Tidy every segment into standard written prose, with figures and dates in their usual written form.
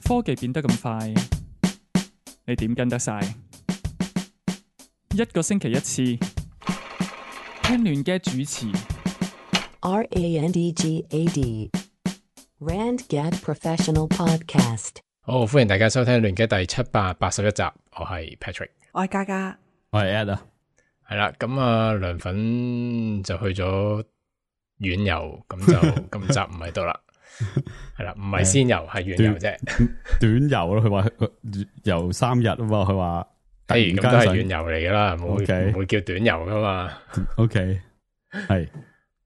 科技變得咁快，你點跟得晒？一個星期一次，聽亂嘅主持。RANDGAD RandGad Professional Podcast。好，歡迎大家收聽亂嘅第781集，我係 Patrick， 我係嘉嘉，我係 Ed 啊，係啦，咁啊涼粉就去咗遠遊，咁就今集唔喺度啦，係啦，唔係先遊係遠遊啫，短遊咯，佢話遊3日啊嘛，佢話，咁都係遠遊嚟噶啦，唔會叫短遊噶嘛 ，OK， 係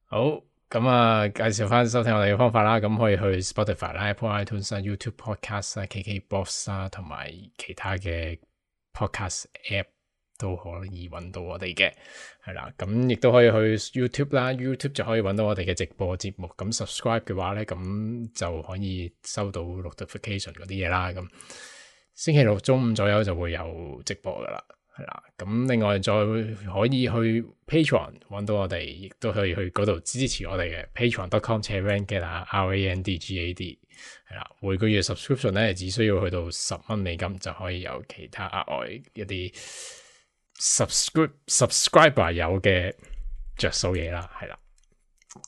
好。咁啊，介紹翻收聽我哋嘅方法啦，咁可以去 Spotify 啦、Apple iTunes 啦、YouTube Podcast 啦、KKBox 啦，同埋其他嘅 Podcast App 都可以揾到我哋嘅，係啦，咁亦都可以去 YouTube 啦 ，YouTube 就可以揾到我哋嘅直播節目，咁 subscribe 嘅話咧，咁就可以收到 notification 嗰啲嘢啦，咁星期六中午左右就會有直播噶啦。係啦，咁另外再可以去 Patreon 揾到我哋，亦都可以去嗰度支持我哋嘅 patreon.com/randgad RANDGAD 係啦，每個月 subscription 咧只需要去到$10就可以有其他額外一啲 subscriber 有嘅着數嘢啦，係啦。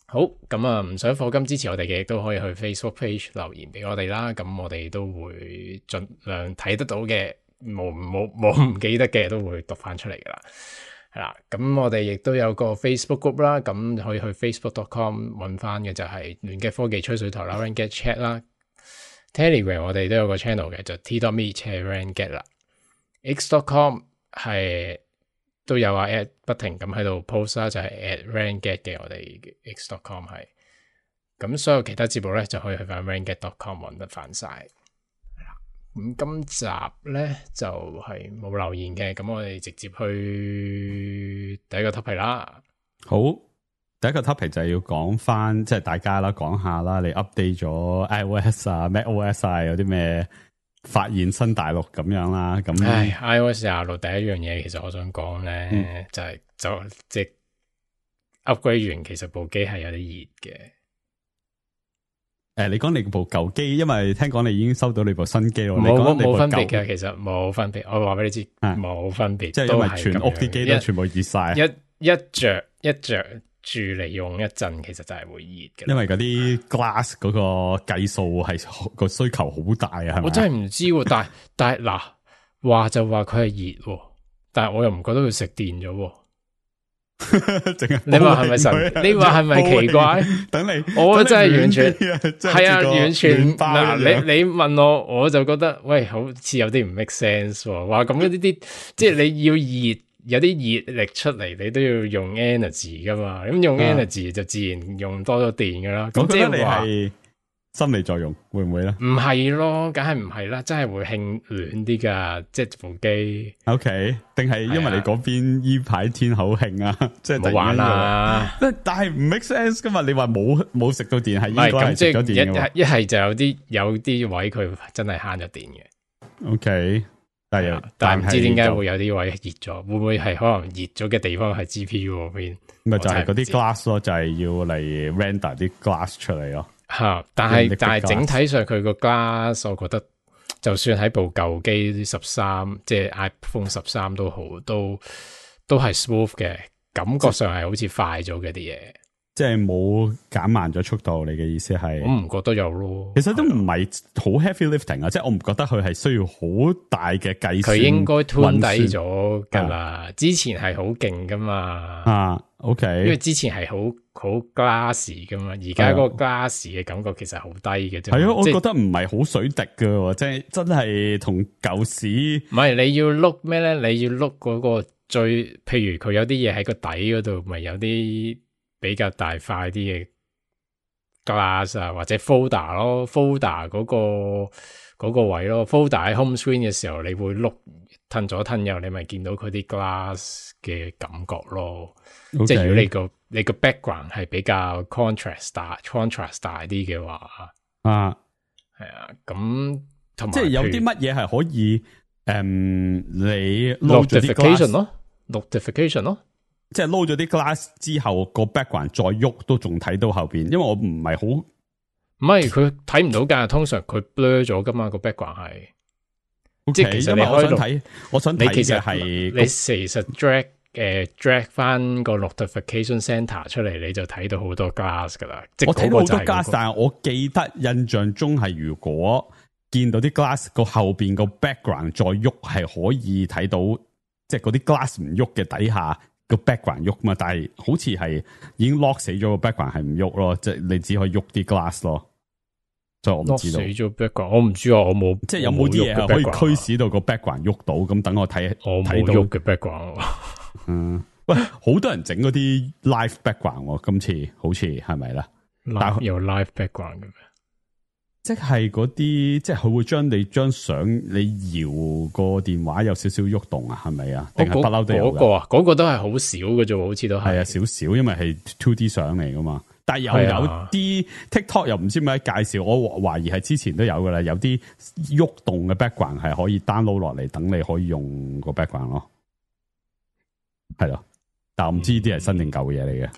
好，咁啊唔想課金支持我哋嘅，亦都可以去 Facebook page 留言俾我哋啦，咁我哋都會盡量睇得到嘅。冇唔記得嘅都會讀翻出嚟噶啦，係啦。咁我哋亦都有個 Facebook group 啦，咁可以去 facebook.com 揾翻嘅就係亂嘅科技吹水台啦 ，RandGad Chat 啦。Telegram 我哋都有個 channel 嘅，就 t.me/randgad 啦。x.com 係都有啊 ，at 不停咁喺度 post 啦，就係 @randgad 嘅我哋 x.com 係。咁所有其他節目咧就可以去翻 randgad.com 揾得翻晒。咁今集咧就係冇留言嘅，咁我哋直接去第一個 topic 啦。好，第一個 topic 就係要講翻，即係大家啦，講下啦，你 update 咗 iOS 啊、macOS 啊，有啲咩發現新大陸咁樣啦。咁iOS 26第一樣嘢，其實我想講咧，就即係 upgrade 完，其實部機係有啲熱嘅。你講你部舊機，因為聽講你已經收到你部新機咯。冇分別嘅，其實冇分別。我話俾你知，冇分別，即係因為全屋啲機都全部熱晒。一着住嚟用一陣，其實就係會熱嘅。因為嗰啲 glass 嗰個計數係個需求好大啊，係咪？我真係唔知，但係嗱，話就話佢係熱，但係我又唔覺得佢食電咗。你話係咪神？你話係咪奇怪？等你，我真係完全係啊，完全嗱，你問我就覺得喂，好似有啲唔 make sense。話咁呢啲，即係你要熱，有啲熱力出嚟，你都要用 energy 噶嘛。咁用 energy 就自然用多咗電噶啦。咁即係話心理作用會唔會咧？唔係咯，梗係唔係啦，真係會興暖啲噶，即係部機。OK， 定係因為你嗰邊依排天好興啊，即係冇玩啦。但係唔 make sense 噶嘛？你話冇食到電係應該係食咗電嘅。一係就有啲位佢真係慳咗電嘅。OK，但係唔知點解會有啲位熱咗，會唔會係可能熱咗嘅地方係 GPU 嗰邊？咪就係嗰啲 glass 咯，就係要嚟 render 啲 glass 出嚟咯。但係整體上佢個 glass， 我覺得就算喺部舊機13，即係 iPhone 13都好，都係 smooth 嘅，感覺上係好似快咗嘅啲嘢，即係冇減慢咗速度。你嘅意思係？我唔覺得有咯，其實都唔係好 heavy lifting 啊，即係我唔覺得佢係需要好大嘅計算。佢應該 tune 低咗噶啦，之前係好勁噶嘛。OK， 因為之前係好 glass 噶嘛，而家嗰個 glass 嘅感覺其實好低嘅啫。係啊，我覺得唔係好水滴噶，即係真係同舊時。唔係，你要碌咩咧？你要碌嗰個最，譬如佢有啲嘢喺個底嗰度，咪有啲比較大塊啲嘅 glass 啊，或者 folder 咯 ，folder 嗰個位咯 ，folder 喺 home screen 嘅時候，你會碌褪左褪右，你咪見到佢啲 glass 嘅感覺咯。Okay. 即係如果你個 background 係比較 contrast 大啲嘅話，係啊，咁同埋即係有啲乜嘢係可以你 notification 咯 ，notification 咯，即係撈咗啲 glass 之後個 background 再喐都仲睇到後邊，因為我唔係好。唔係佢睇唔到㗎，通常佢 blur 咗㗎嘛個 background 係。Okay, 即係其實你我想睇其實係你其實 drag 翻個 notification center 出嚟，你就睇到好多 glass 㗎啦。我睇到好多 glass，那個但係我記得印象中係如果見到啲 glass 個後邊個 background 再喐，係可以睇到，即係嗰啲 glass 唔喐嘅底下個 background 喐嘛。但係好似係已經 lock 死咗個 background 係唔喐咯，即係你只可以喐啲 glass 咯。所以我唔知道。死咗 background，我唔知啊，我冇。即係有冇啲嘢可以驅使到個 background 喐到？咁等我睇，我冇喐嘅 background。喂，好多人整嗰啲 live background，今次好似係咪啦？但有 live background 嘅咩？即係嗰啲，即係佢會將你張相你搖個電話有少少喐動啊？係咪啊？定係不嬲都有㗎？嗰個都係好少嘅啫，好似都係。係啊，少少，因為係 2D 相嚟噶嘛。但係又有啲 TikTok 又唔知點解介紹，我懷疑係之前都有噶啦，有啲喐動嘅 background 係可以 download 落嚟，等你可以用個 background 咯。係咯，但我唔知呢啲係新定舊嘅嘢嚟嘅。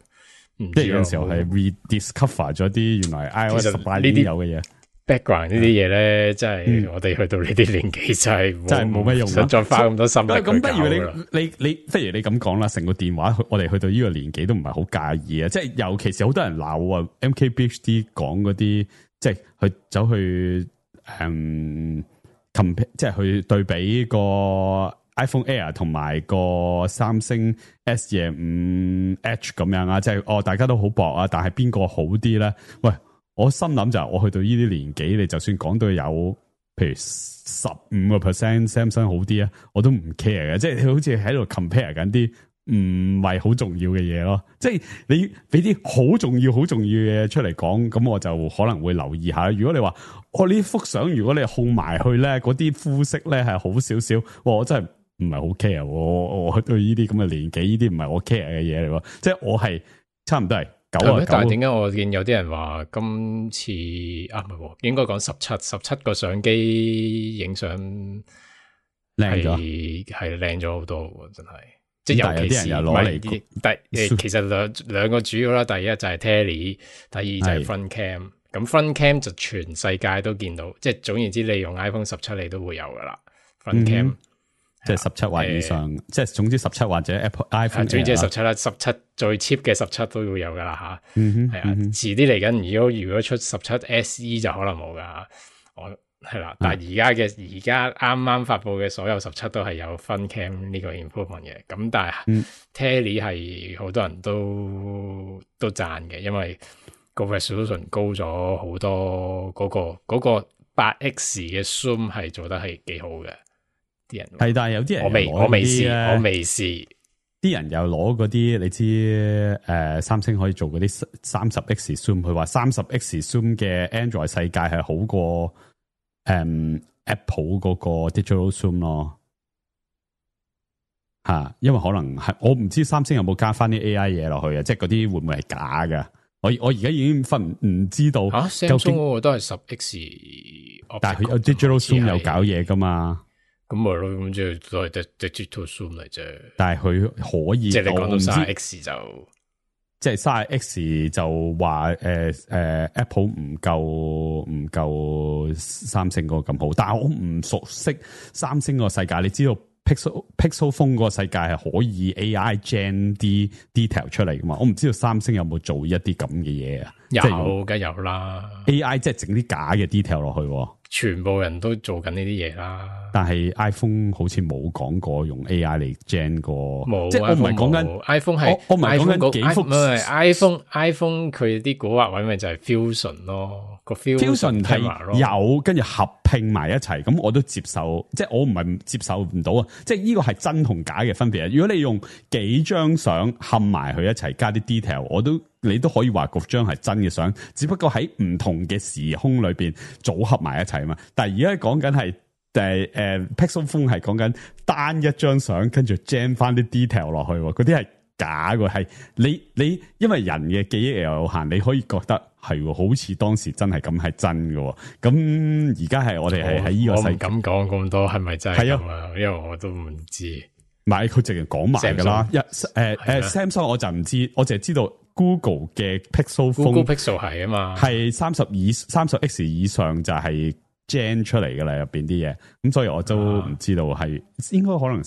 即係有陣時候係 rediscover 咗啲原來 iOS 18年有嘅嘢。background 呢啲嘢咧，真係我哋去到呢啲年紀真係冇乜用，想再花咁多心力去搞。咁不如你不如你咁講啦，成個電話我哋去到呢個年紀都唔係好介意啊！即係尤其是好多人鬧啊 MKBHD 講嗰啲，即係去走去compare， 即係去對比個 iPhone Air 同埋個三星 S25 Edge 咁樣啊！即係大家都好薄啊，但係邊個好啲咧？喂！我心諗就係我去到呢啲年紀，你就算講到有，譬如15% Samsung 好啲啊，我都唔 care 嘅，即係好似喺度 compare 緊啲唔係好重要嘅嘢咯。即係你俾啲好重要嘅嘢出嚟講，咁我就可能會留意下。如果你話我呢幅相，如果你控埋去咧，嗰啲膚色咧係好少少，我真係唔係好 care。我去到呢啲咁嘅年紀，呢啲唔係我 care 嘅嘢嚟喎。即係我係差唔多係。但係點解我見有啲人話今次唔係，應該講17個相機影相靚咗，係靚咗好多，真係。即係尤其是攞嚟，其實兩個主要啦，第一就係 Tele， 第二就係 Front Cam。咁 Front Cam 就全世界都見到，即係總言之，你用 iPhone 17你都會有噶啦 Front Cam。即係17或以上，即係總之17或者 iPhone， 總之係17啦，17最 cheap 嘅17都要有噶啦吓，係啊，遲啲嚟緊，如果出17 SE 就可能冇噶，我係啦，但係而家啱啱發佈嘅所有17都係有 Front Cam 呢個 improvement 嘅，咁但係 Tele 係好多人都讚嘅，因為個 resolution 高咗好多，嗰個 8X 嘅 zoom 係做得係幾好嘅。啲人係，但係有啲人我未試，啲人又攞嗰啲，你知三星可以做嗰啲30x zoom，佢話30x zoom 嘅 Android 世界係好過Apple 嗰個 digital zoom 咯，吓，因為可能係我唔知三星有冇加翻啲 AI 嘢落去啊，即係嗰啲會唔會係假噶？我而家已經唔知道究竟嗰個都係10x， 但係佢有 digital zoom 有搞嘢噶嘛？咁咪咯，咁即係都係 digital zoom 嚟啫。但係佢可以，即係你講到30x 就，即係30x 就話Apple 唔夠三星嗰個咁好。但係我唔熟悉三星個世界，你知道 Pixel Phone 個世界係可以 AI gen 啲 detail 出嚟噶嘛？我唔知道三星有冇做一啲咁嘅嘢啊？有，梗有啦。AI 即係整啲假嘅 detail 落去，全部人都做緊呢啲嘢啦。但係 iPhone 好似冇講過用 AI 嚟 gen 過，冇。即係我唔係講緊 iPhone 係，我唔係講緊幾幅。唔係 iPhone 佢啲古惑位咪就係 fusion 咯，個 fusion 係有跟住合拼埋一齊，咁我都接受。即係我唔係接受唔到啊！即係呢個係真同假嘅分別啊！如果你用幾張相冚埋佢一齊加啲 detail，你都可以話嗰張係真嘅相，只不過喺唔同嘅時空裏邊組合埋一齊啊嘛。但係而家講緊係Pixel Phone 係講緊單一張相，跟住 jam 翻啲 detail 落去，嗰啲係假嘅。係你因為人嘅記憶有限，你可以覺得係好似當時真係咁係真嘅。咁而家係我哋係喺呢個世界，我唔敢講咁多，係咪真係咁啊？因為我都唔知。唔係佢直情講埋噶啦，Samsung 我就唔知，我淨係知道 Google 嘅 Pixel Google Phone Pixel 係啊嘛，係30X 以上就係 Gen 出嚟噶啦，入邊啲嘢，咁所以我都唔知道係應該可能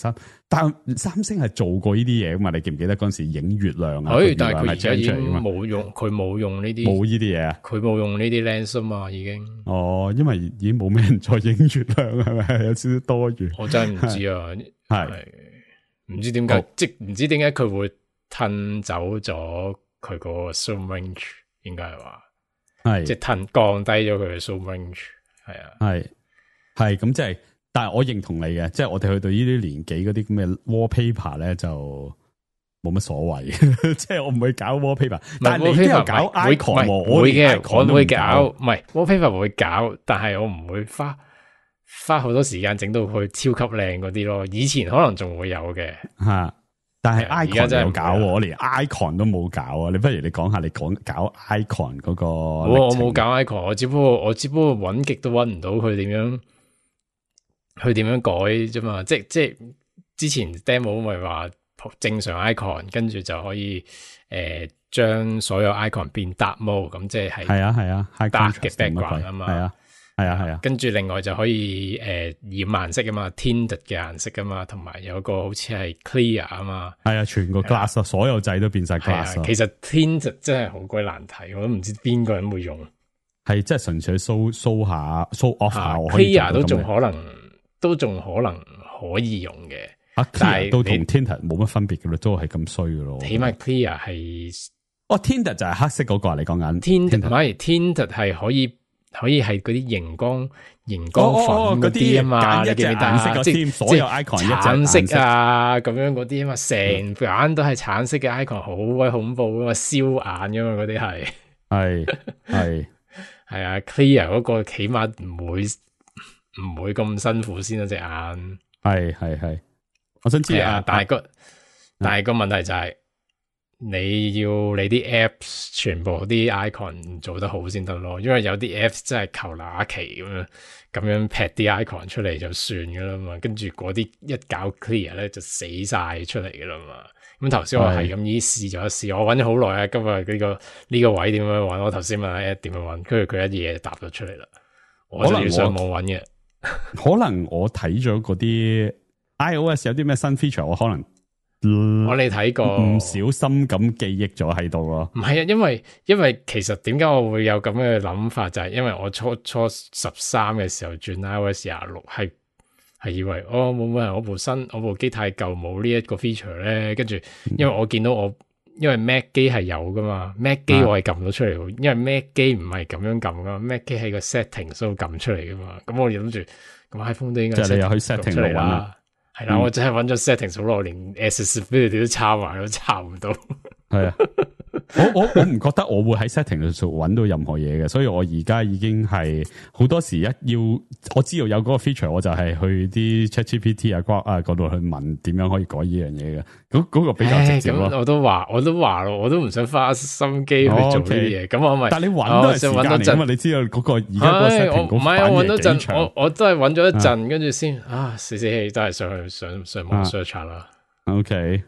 但三星係做過呢啲嘢噶嘛？你記唔記得嗰陣時影月亮啊？但係佢而家已經冇用，佢冇用呢啲，冇呢啲嘢啊，佢冇用呢啲 lens 啊嘛，已經。哦，因為已經冇咩人再影月亮，係咪有少少多餘？我真係唔知啊，係唔知點解，即唔知點解佢會褪走咗佢個 zoom range，應該係話係即係降低咗佢嘅 zoom range。係啊，係咁即係，但係我認同你嘅，即係我哋去到呢啲年紀嗰啲咁嘅 wallpaper 咧就冇乜所謂，即係我唔會搞 wallpaper，但係你都有搞 icon，會嘅，我會搞，唔係 wallpaper 會搞，但係我唔會花好多時間整到佢超級靚嗰啲咯。以前可能仲會有嘅吓，但係 icon 真係有搞，我連 icon 都冇搞啊！你不如你講下你搞 icon 嗰個，我冇搞 icon，我只不過搵極都搵唔到佢點樣改啫嘛。即係之前 demo 咪話正常 icon， 跟住就可以將所有 icon 變 dark mode， 咁即係dark 嘅 background 啊嘛。係啊，跟住另外就可以染顏色啊嘛 ，tinted 嘅顏色啊嘛，同埋有個好似係 clear 啊嘛，係啊，全個 glass 所有掣都變晒 glass。其實 tinted 真係好鬼難睇，我都唔知邊個人會用。係即係純粹 show off 下 ，clear 都仲可能可以用嘅，但係都同 tinted 冇乜分別嘅咯，都係咁衰嘅咯。起碼 clear 係tinted 就係黑色嗰個你講緊 tinted 係可以係嗰啲熒光粉嗰啲啊嘛，你記唔記得？即係所有 icon 一橙色啊咁樣嗰啲啊嘛，成眼都係橙色嘅 icon， 好鬼恐怖噶嘛，燒眼噶嘛，嗰啲係啊 ，clear 嗰個起碼唔會咁辛苦先啦，隻眼係，我想知但係個問題就係。你要你啲 apps 全部啲 icon 做得好先得咯，因為有啲 apps 真係求那期咁樣劈啲 icon 出嚟就算噶啦嘛，跟住嗰啲一搞 clear 咧就死晒出嚟噶啦嘛。咁頭先我係咁依試咗一試，我搵咗好耐啊，今日呢個位點樣搵？我頭先問阿 Ed 點樣搵，跟住佢一嘢就答咗出嚟啦。我就要上網搵嘅。可能我睇咗嗰啲 iOS 有啲咩新 feature， 我可能。我哋睇過，唔小心咁記憶咗喺度咯。唔係啊，因為其實點解我會有咁嘅諗法，就係因為我初13嘅時候轉 iOS 26，係以為冇乜人，我部機太舊，冇呢一個 feature 咧。跟住因為我見到因為 Mac 機係有噶嘛，Mac 機我係撳到出嚟，因為 Mac 機唔係咁樣撳噶，Mac 機係個 setting 都撳出嚟噶嘛。咁我諗住咁 iPhone 都應該即係你又去 setting 度搵啦。係啦，我真係揾咗 settings 好耐，連 accessibility 都抄埋，都抄唔到。係啊，我唔覺得我會喺 setting 度揾到任何嘢嘅，所以我而家已經係好多時我知道有嗰個 feature， 我就係去啲 ChatGPT 啊、Grok 啊嗰度去問點樣可以改呢樣嘢嘅。嗰個比較直接咯。我都話咯，我都唔想花心機去做呢啲嘢。咁我咪，但係你揾都係時間嚟㗎嘛？你知道嗰個而家個 setting 嗰反應幾長？我都係揾咗一陣，跟住先死氣都係上網 search 啦。OK。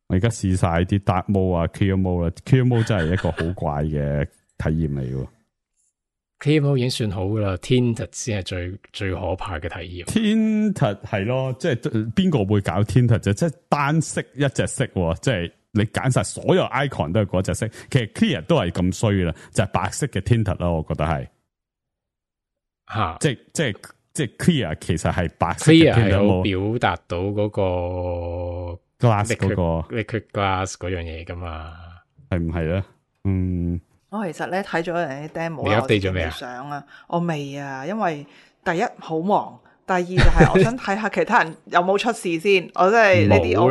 我而家試晒啲 dark mode 啊 clear mode 啦 clear mode 真係一個好怪嘅體驗嚟嘅。clear mode 已經算好噶啦 tinted 先係最可怕嘅體驗。tinted 係咯，即係邊個會搞 tinted 啫？即係單色一隻色，即係你揀晒所有 icon 都係嗰隻色。其實 clear 都係咁衰啦，就係白色嘅 tinted 啦，我覺得係吓，即係 clear 其實係白色嘅 tinted 係好表達到嗰個。glass 嗰個 liquid glass 嗰樣嘢噶嘛，係唔係咧？我其實咧睇咗人啲 demo， 你 update 咗未啊？相啊，我未啊，因為第一好忙，第二就係我想睇下其他人有冇出事先。我真係呢啲我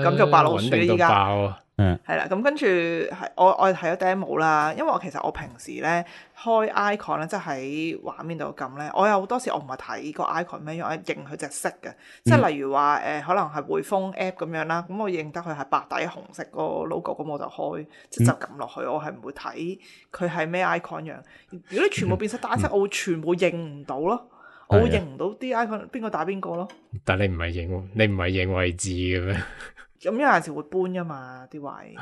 唔敢做白老鼠依家。係啦，咁跟住係我睇咗 demo 啦，因為其實我平時咧開 icon 咧，即係喺畫面度撳咧，我有好多時我唔係睇個 icon 咩樣，我認佢隻色嘅，即係例如話可能係匯豐 app 咁樣啦，咁我認得佢係白底紅色個 logo，咁我就開即就撳落去，我係唔會睇佢係咩 icon 樣。如果你全部變晒單色，我會全部認唔到咯，我會認唔到啲 icon 邊個打邊個咯。但你唔係認位置嘅咩？咁有陣時會搬噶嘛啲位，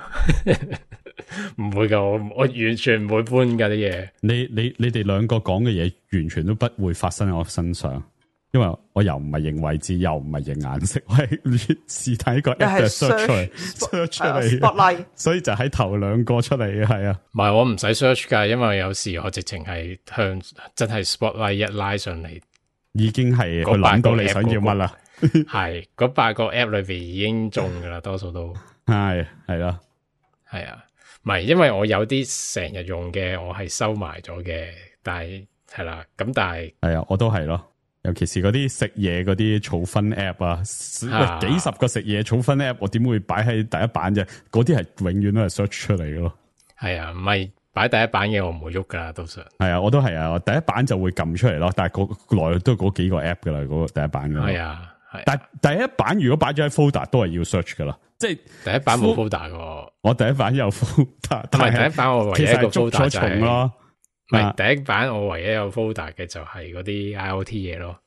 唔會噶，我完全唔會搬噶啲嘢。你哋兩個講嘅嘢完全都不會發生喺我身上，因為我又唔係認位置，又唔係認顏色，我係試睇個 app search 出嚟，所以就喺頭兩個出嚟嘅係啊。唔係我唔使 search 噶，因為有時我直情係向真係 spotlight 一拉上嚟，已經係佢諗到你想要乜啦。係嗰8個 app 裏邊已經中噶啦，多數都係啦，係啊，唔係因為我有啲成日用嘅，我係收埋咗嘅，但係係啦，咁但係係啊，我都係咯，尤其是嗰啲食嘢嗰啲儲分 app 啊，幾十個食嘢儲分 app， 我點會擺喺第一版啫？嗰啲係永遠都係 search 出嚟嘅咯。係啊，唔係擺第一版嘅我唔會喐噶啦，通常係啊，我都係啊，我第一版就會撳出嚟咯，但係來都嗰幾個 app 噶啦，嗰個第一版嘅係啊。但第一版如果擺咗喺 folder 都係要 search 噶啦，即係第一版冇 folder 噶。我第一版有 folder，同埋第一版我唯一一個 folder 就係咯，唔係第一版我唯一有 folder 嘅就係嗰啲 IoT 嘢咯。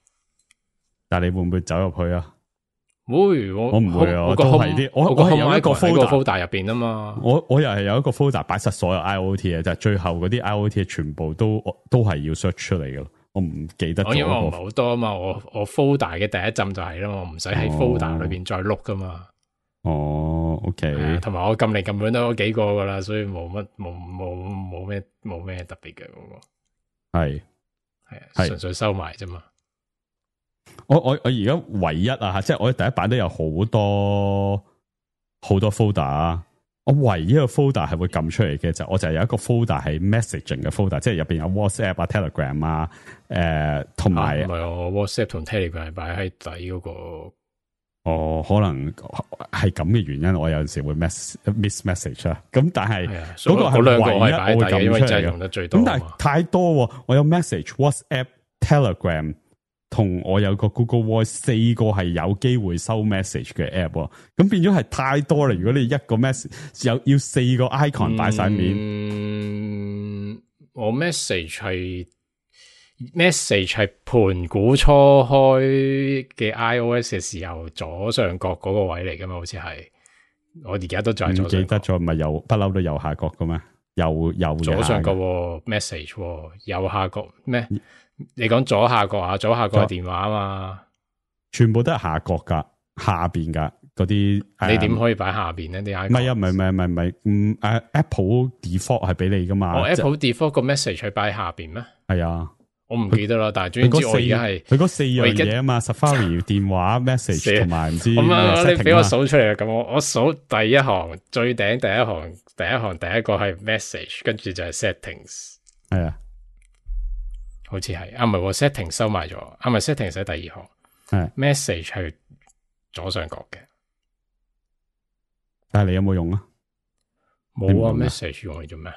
但係你會唔會走入去啊？會，我唔會啊，我都係啲我係有一個 folder 入邊啊嘛。我又係有一個 folder 擺實所有 IoT 嘅，就係最後嗰啲 IoT 全部都係要 search 出嚟嘅。我唔記得咗，因為我唔係好多啊嘛，我 folder 嘅第一浸就係啦嘛，我唔使喺 folder 裏邊再碌噶嘛。哦 ，OK，同埋我撳嚟撳去都幾個噶啦，所以冇咩特別嘅嗰個。係啊，純粹收埋啫嘛。我而家唯一啊，即係我第一版都有好多 folder 啊。我唯一一個 folder 係會撳出嚟嘅我就係有一個 folder 係 messaging 嘅 folder， 即係入邊有 WhatsApp 啊、Telegram 啊，同埋唔係我 WhatsApp 同 Telegram 係擺喺底嗰個。哦，可能係咁嘅原因，我有陣時會 miss message 啊。咁但係嗰個係兩個係擺喺底，因為真係用得最多。咁但係太多，我有 message、WhatsApp、Telegram。同我有個 Google Voice 4個係有機會收 message 嘅 app， 咁變咗係太多啦。如果你一個 message 要4個 icon 擺晒面，我 message 係盤古初開嘅 iOS 嘅時候左上角嗰個位嚟噶嘛？好似係我而家都仲係左上角。唔記得咗，唔係右不嬲都右下角噶咩？右左上角 message 右下角咩？你講左下角啊？左下角係電話啊嘛，全部都係下角噶，下邊噶嗰啲。你點可以擺下邊呢啲 icon？ 唔係啊，唔係，Apple default 係俾你噶嘛。Apple default 個 message 係擺下邊咩？係啊，我唔記得啦。但係總之我而家係佢嗰4樣嘢啊嘛 ，Safari 電話 message 同埋唔知。咁啊，你俾我數出嚟啊！咁我數第一行最頂第一行第一個係 message， 跟住就係 settings。係啊。好似係唔係 setting 收埋咗，咪 setting 喺第二行，係 message 係左上角嘅。但係你有冇用啊？冇啊 ，message 用嚟做咩？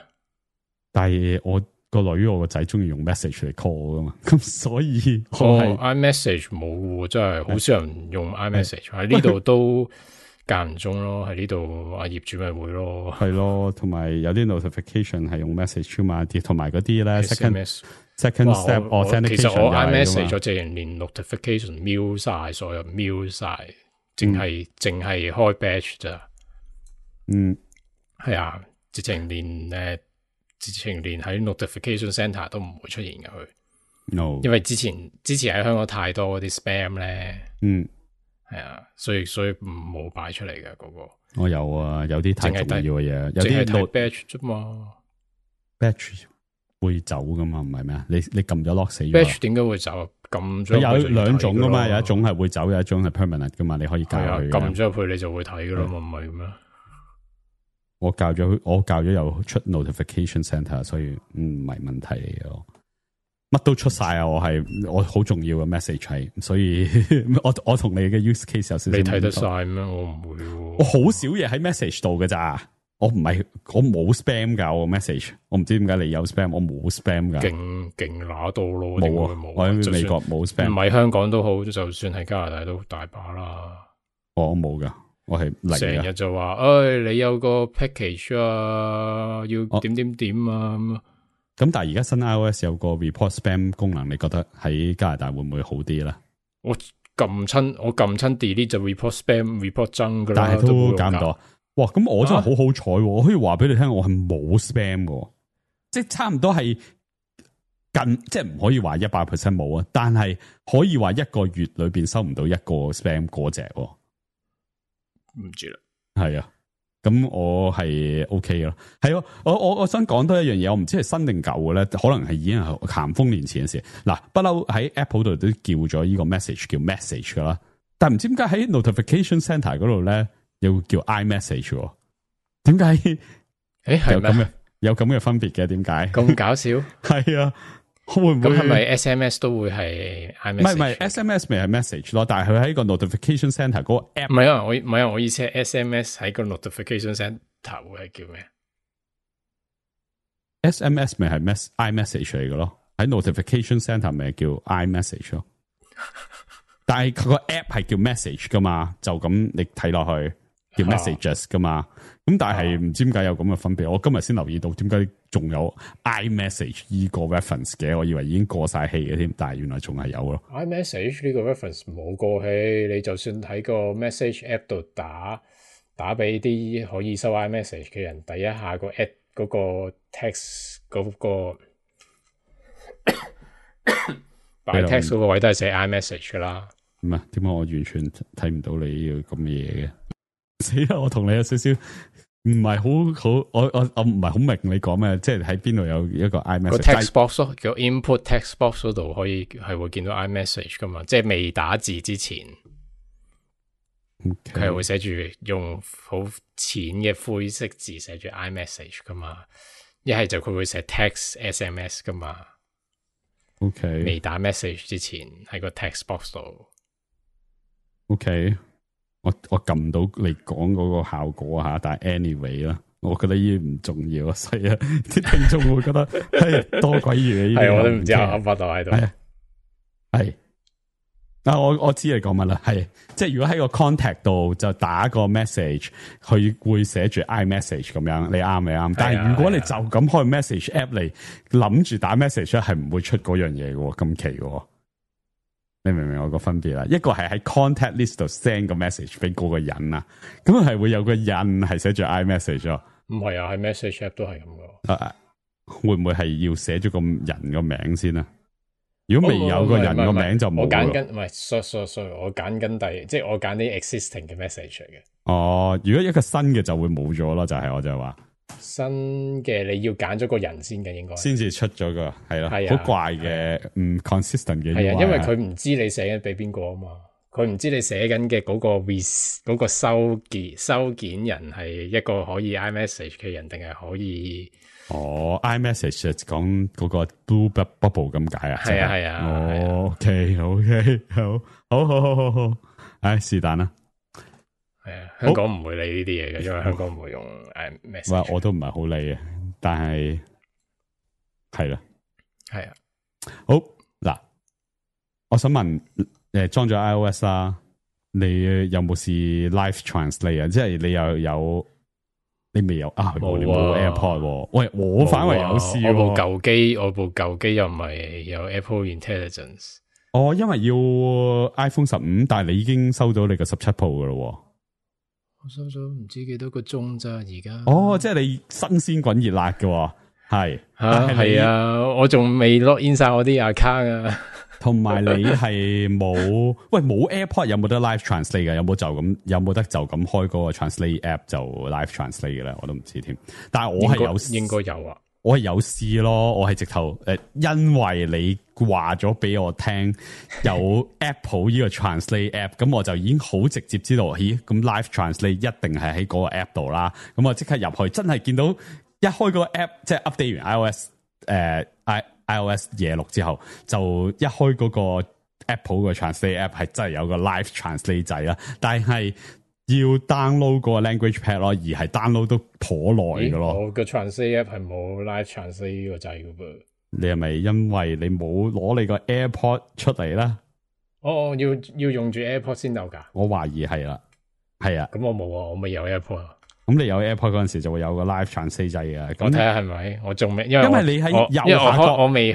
但係我個女我個仔中意用 message 嚟 call 噶嘛，咁所以iMessage 冇，真係好少人用 iMessage 喺呢度都間唔中咯，喺呢度阿業主咪會咯，係咯，同埋有啲 notification 係用 message 嘛，同埋嗰啲咧 second step authentication 其實我 iMessage 咗直情連 notification 瞄晒，所有瞄晒，淨係開 batch 咋。嗯，係啊，直情連喺 notification center 都唔會出現嘅佢。No， 因為之前喺香港太多嗰啲 spam 咧。嗯，係啊，所以冇擺出嚟嘅嗰個。我有啊，有啲太重要嘅嘢，有啲係 batch 啫嘛 ，batch。會走噶嘛？唔係咩？你撳咗 lock 死咗。batch 點解會走？撳咗有兩種噶嘛，有一種係會走，有一種係 permanent 噶嘛。你可以教佢。撳咗入去你就會睇噶啦嘛，唔係咩？我教咗有出 notification center， 所以唔係問題嚟嘅。乜都出晒啊！我好重要嘅 message 係，所以我同你嘅 use case 有少少。你睇得晒咩？我唔會。我好少嘢喺 message 度噶咋。我冇 spam 噶，我 message， 我唔知點解你有 spam， 我冇 spam 噶。勁拿到咯，冇啊！我喺美國冇 spam， 唔係香港都好，就算係加拿大都大把啦。我冇噶，我係零。成日就話，你有個 package 啊，要點啊咁。但係而家新 iOS 有個 report spam 功能，你覺得喺加拿大會唔會好啲咧？我撳親 delete 就 report spam、report junk 噶啦，但係都揀唔到。哇！咁我真係好好彩，我可以話俾你聽，我係冇 spam 嘅，即係差唔多係近，即係唔可以話100% 冇啊，但係可以話一個月裏邊收唔到一個 spam 嗰隻。唔知啦，係啊。咁我係 OK 咯，係咯，我想講多一樣嘢，我唔知係新定舊嘅咧，可能係已經係咸豐年前嘅事。嗱，不嬲喺 Apple 度都叫咗呢個 message 叫 message 噶啦，但係唔知點解喺 notification center 嗰度咧又叫 iMessage，點解？誒，係有咁嘅分別嘅？點解？咁搞笑？係啊。會唔會咁係咪 SMS 都會係 iMessage？唔係 SMS 咪係 message 咯，但係佢喺個 notification center 嗰個 app。唔係啊，我意思係 SMS 喺個 notification center 會係叫咩 ？SMS 咪係 iMessage 嚟嘅咯，喺 notification center 咪叫 iMessage 咯。但係佢個 app 係叫 message 噶嘛，就咁你睇落去叫 messages 噶嘛。咁但係唔知點解有咁嘅分別，我今日先留意到點解仲有 iMessage 呢個 reference 嘅，我以為已經過晒氣嘅添，但係原來仲係有咯。iMessage 呢個 reference 冇過氣，你就算喺個 message app 度打俾啲可以收 iMessage 嘅人，第一下個 app 嗰個 text 嗰個擺 text 嗰個位都係寫 iMessage 噶啦。唔係點解我完全睇唔到你呢個咁嘅嘢嘅？死啦！我同你有少少唔係好，我唔係好明你講咩，即係喺邊度有一個 iMessage 個 text box 咯，個 input text box 嗰度可以係會見到 iMessage 噶嘛，即係未打字之前，佢係會寫住用好淺嘅灰色字寫住 iMessage 噶嘛，一係就佢會寫 text SMS 噶嘛。OK， 未打 message 之前喺個 text box 度。OK。我撳到你講嗰個效果吓，但係 anyway 啦，我覺得呢啲唔重要啊，所以啊，啲聽眾會覺得係多鬼餘嘅。係我都唔知阿發度喺度。係啊，我知你講乜啦，係即係如果喺個 contact 度就打個 message，佢會寫住 iMessage 咁樣，你啱咪啱？但係如果你就咁開 message app 嚟諗住打 message 咧，係唔會出嗰樣嘢嘅，咁奇嘅。你明唔明我個分別啦？一個係喺 contact list 度 send 個 message 俾嗰個人啊，咁係會有個印係寫住 iMessage 咯。唔係啊，喺 message app 都係咁噶。會唔會係要寫咗個人個名先啊？如果未有個人個名就冇。我揀緊唔係 sorry，我揀緊即係我揀啲 existing 嘅 message 嚟嘅。哦，如果一個新嘅就會冇咗咯，就係我就話。新嘅你要揀咗個人先嘅，應該先至出咗個係咯，好怪嘅，唔 consistent 嘅。係啊，因為佢唔知你寫緊俾邊個啊嘛，佢唔知你寫緊嘅嗰個收件人係一個可以 iMessage 嘅人，定係可以iMessage 講嗰個 blue bubble 咁解啊？係啊，OK，好，唉，是但啦。係啊，香港唔會理呢啲嘢嘅，因為香港唔會用message。我都唔係好理嘅，但係係啦，係啊。好嗱，我想問裝咗 iOS 啦，你有冇試 Live Translate 啊？即係你又有，你未有啊？你冇 AirPod。喂，我反為有試。我部舊機又唔係有 Apple Intelligence。因為要 iPhone 15，但係你已經收到你個17 Pro 噶咯。我收咗唔知幾多個鐘咋而家。即係你新鮮滾熱辣嘅，係係啊，我仲未 login 晒我啲 account 啊。同埋你係冇AirPod 有冇得 Live Translate 嘅？有冇得就咁開嗰個 Translate app 就 Live Translate 嘅咧？我都唔知添。但係我係應該有啊。我係有試咯，我係直頭因為你話咗俾我聽有 Apple 呢個 Translate app，咁我就已經好直接知道，咁 Live Translate 一定係喺嗰個 app 度啦。咁我即刻入去，真係見到一開嗰個 app，即係 update 完 iOS 26之後，就一開嗰個 Apple 嘅 Translate app 係真係有個 Live Translate 掣啦，但係要 download 個 language pad 咯，而係 download 都頗耐嘅咯。我個 translate app 係冇 live translate 呢個掣嘅噃。你係咪因為你冇攞你個 AirPod 出嚟啦？要用住 AirPod 先有噶？我懷疑係啦，係啊。咁我冇啊，我未有 AirPod。咁你有 AirPod 嗰陣時就會有個 Live Translate 掣嘅。我睇下係咪？我仲未，因為你喺右下角，我未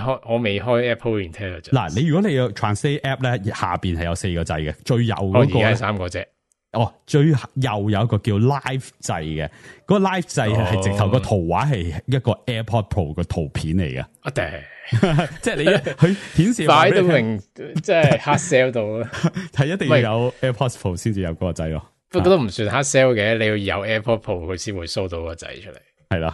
開 Apple Intelligence。嗱，你如果你有 Translate App 咧，下邊係有4個掣嘅，最右嗰個而家係3個啫。最右有一個叫 Live 掣嘅，嗰個 Live 掣係直頭個圖畫係一個 AirPod Pro 嘅圖片嚟嘅。即係你佢顯示擺到明，即係 hard sell 到啦。係一定要有 AirPods Pro 先至有嗰個掣咯。不過都唔算 hard sell 嘅，你要有 AirPod Pro 佢先會 show 到個掣出嚟。係啦，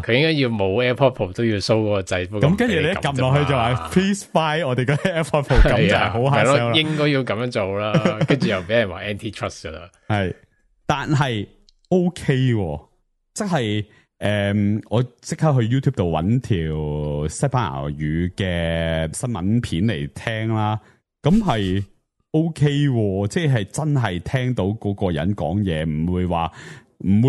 佢應該要冇 AirPod Pro 都要 show 嗰個掣。咁跟住你一撳落去就話 Please buy 我哋個 AirPod Pro，咁就係好 hard sell 啦。應該要咁樣做啦，跟住又俾人話 anti-trust 噶啦。係，但係 OK，即係我即刻去 YouTube 度揾條西班牙語嘅新聞片嚟聽啦，咁係 OK，即係真係聽到嗰個人講嘢，唔會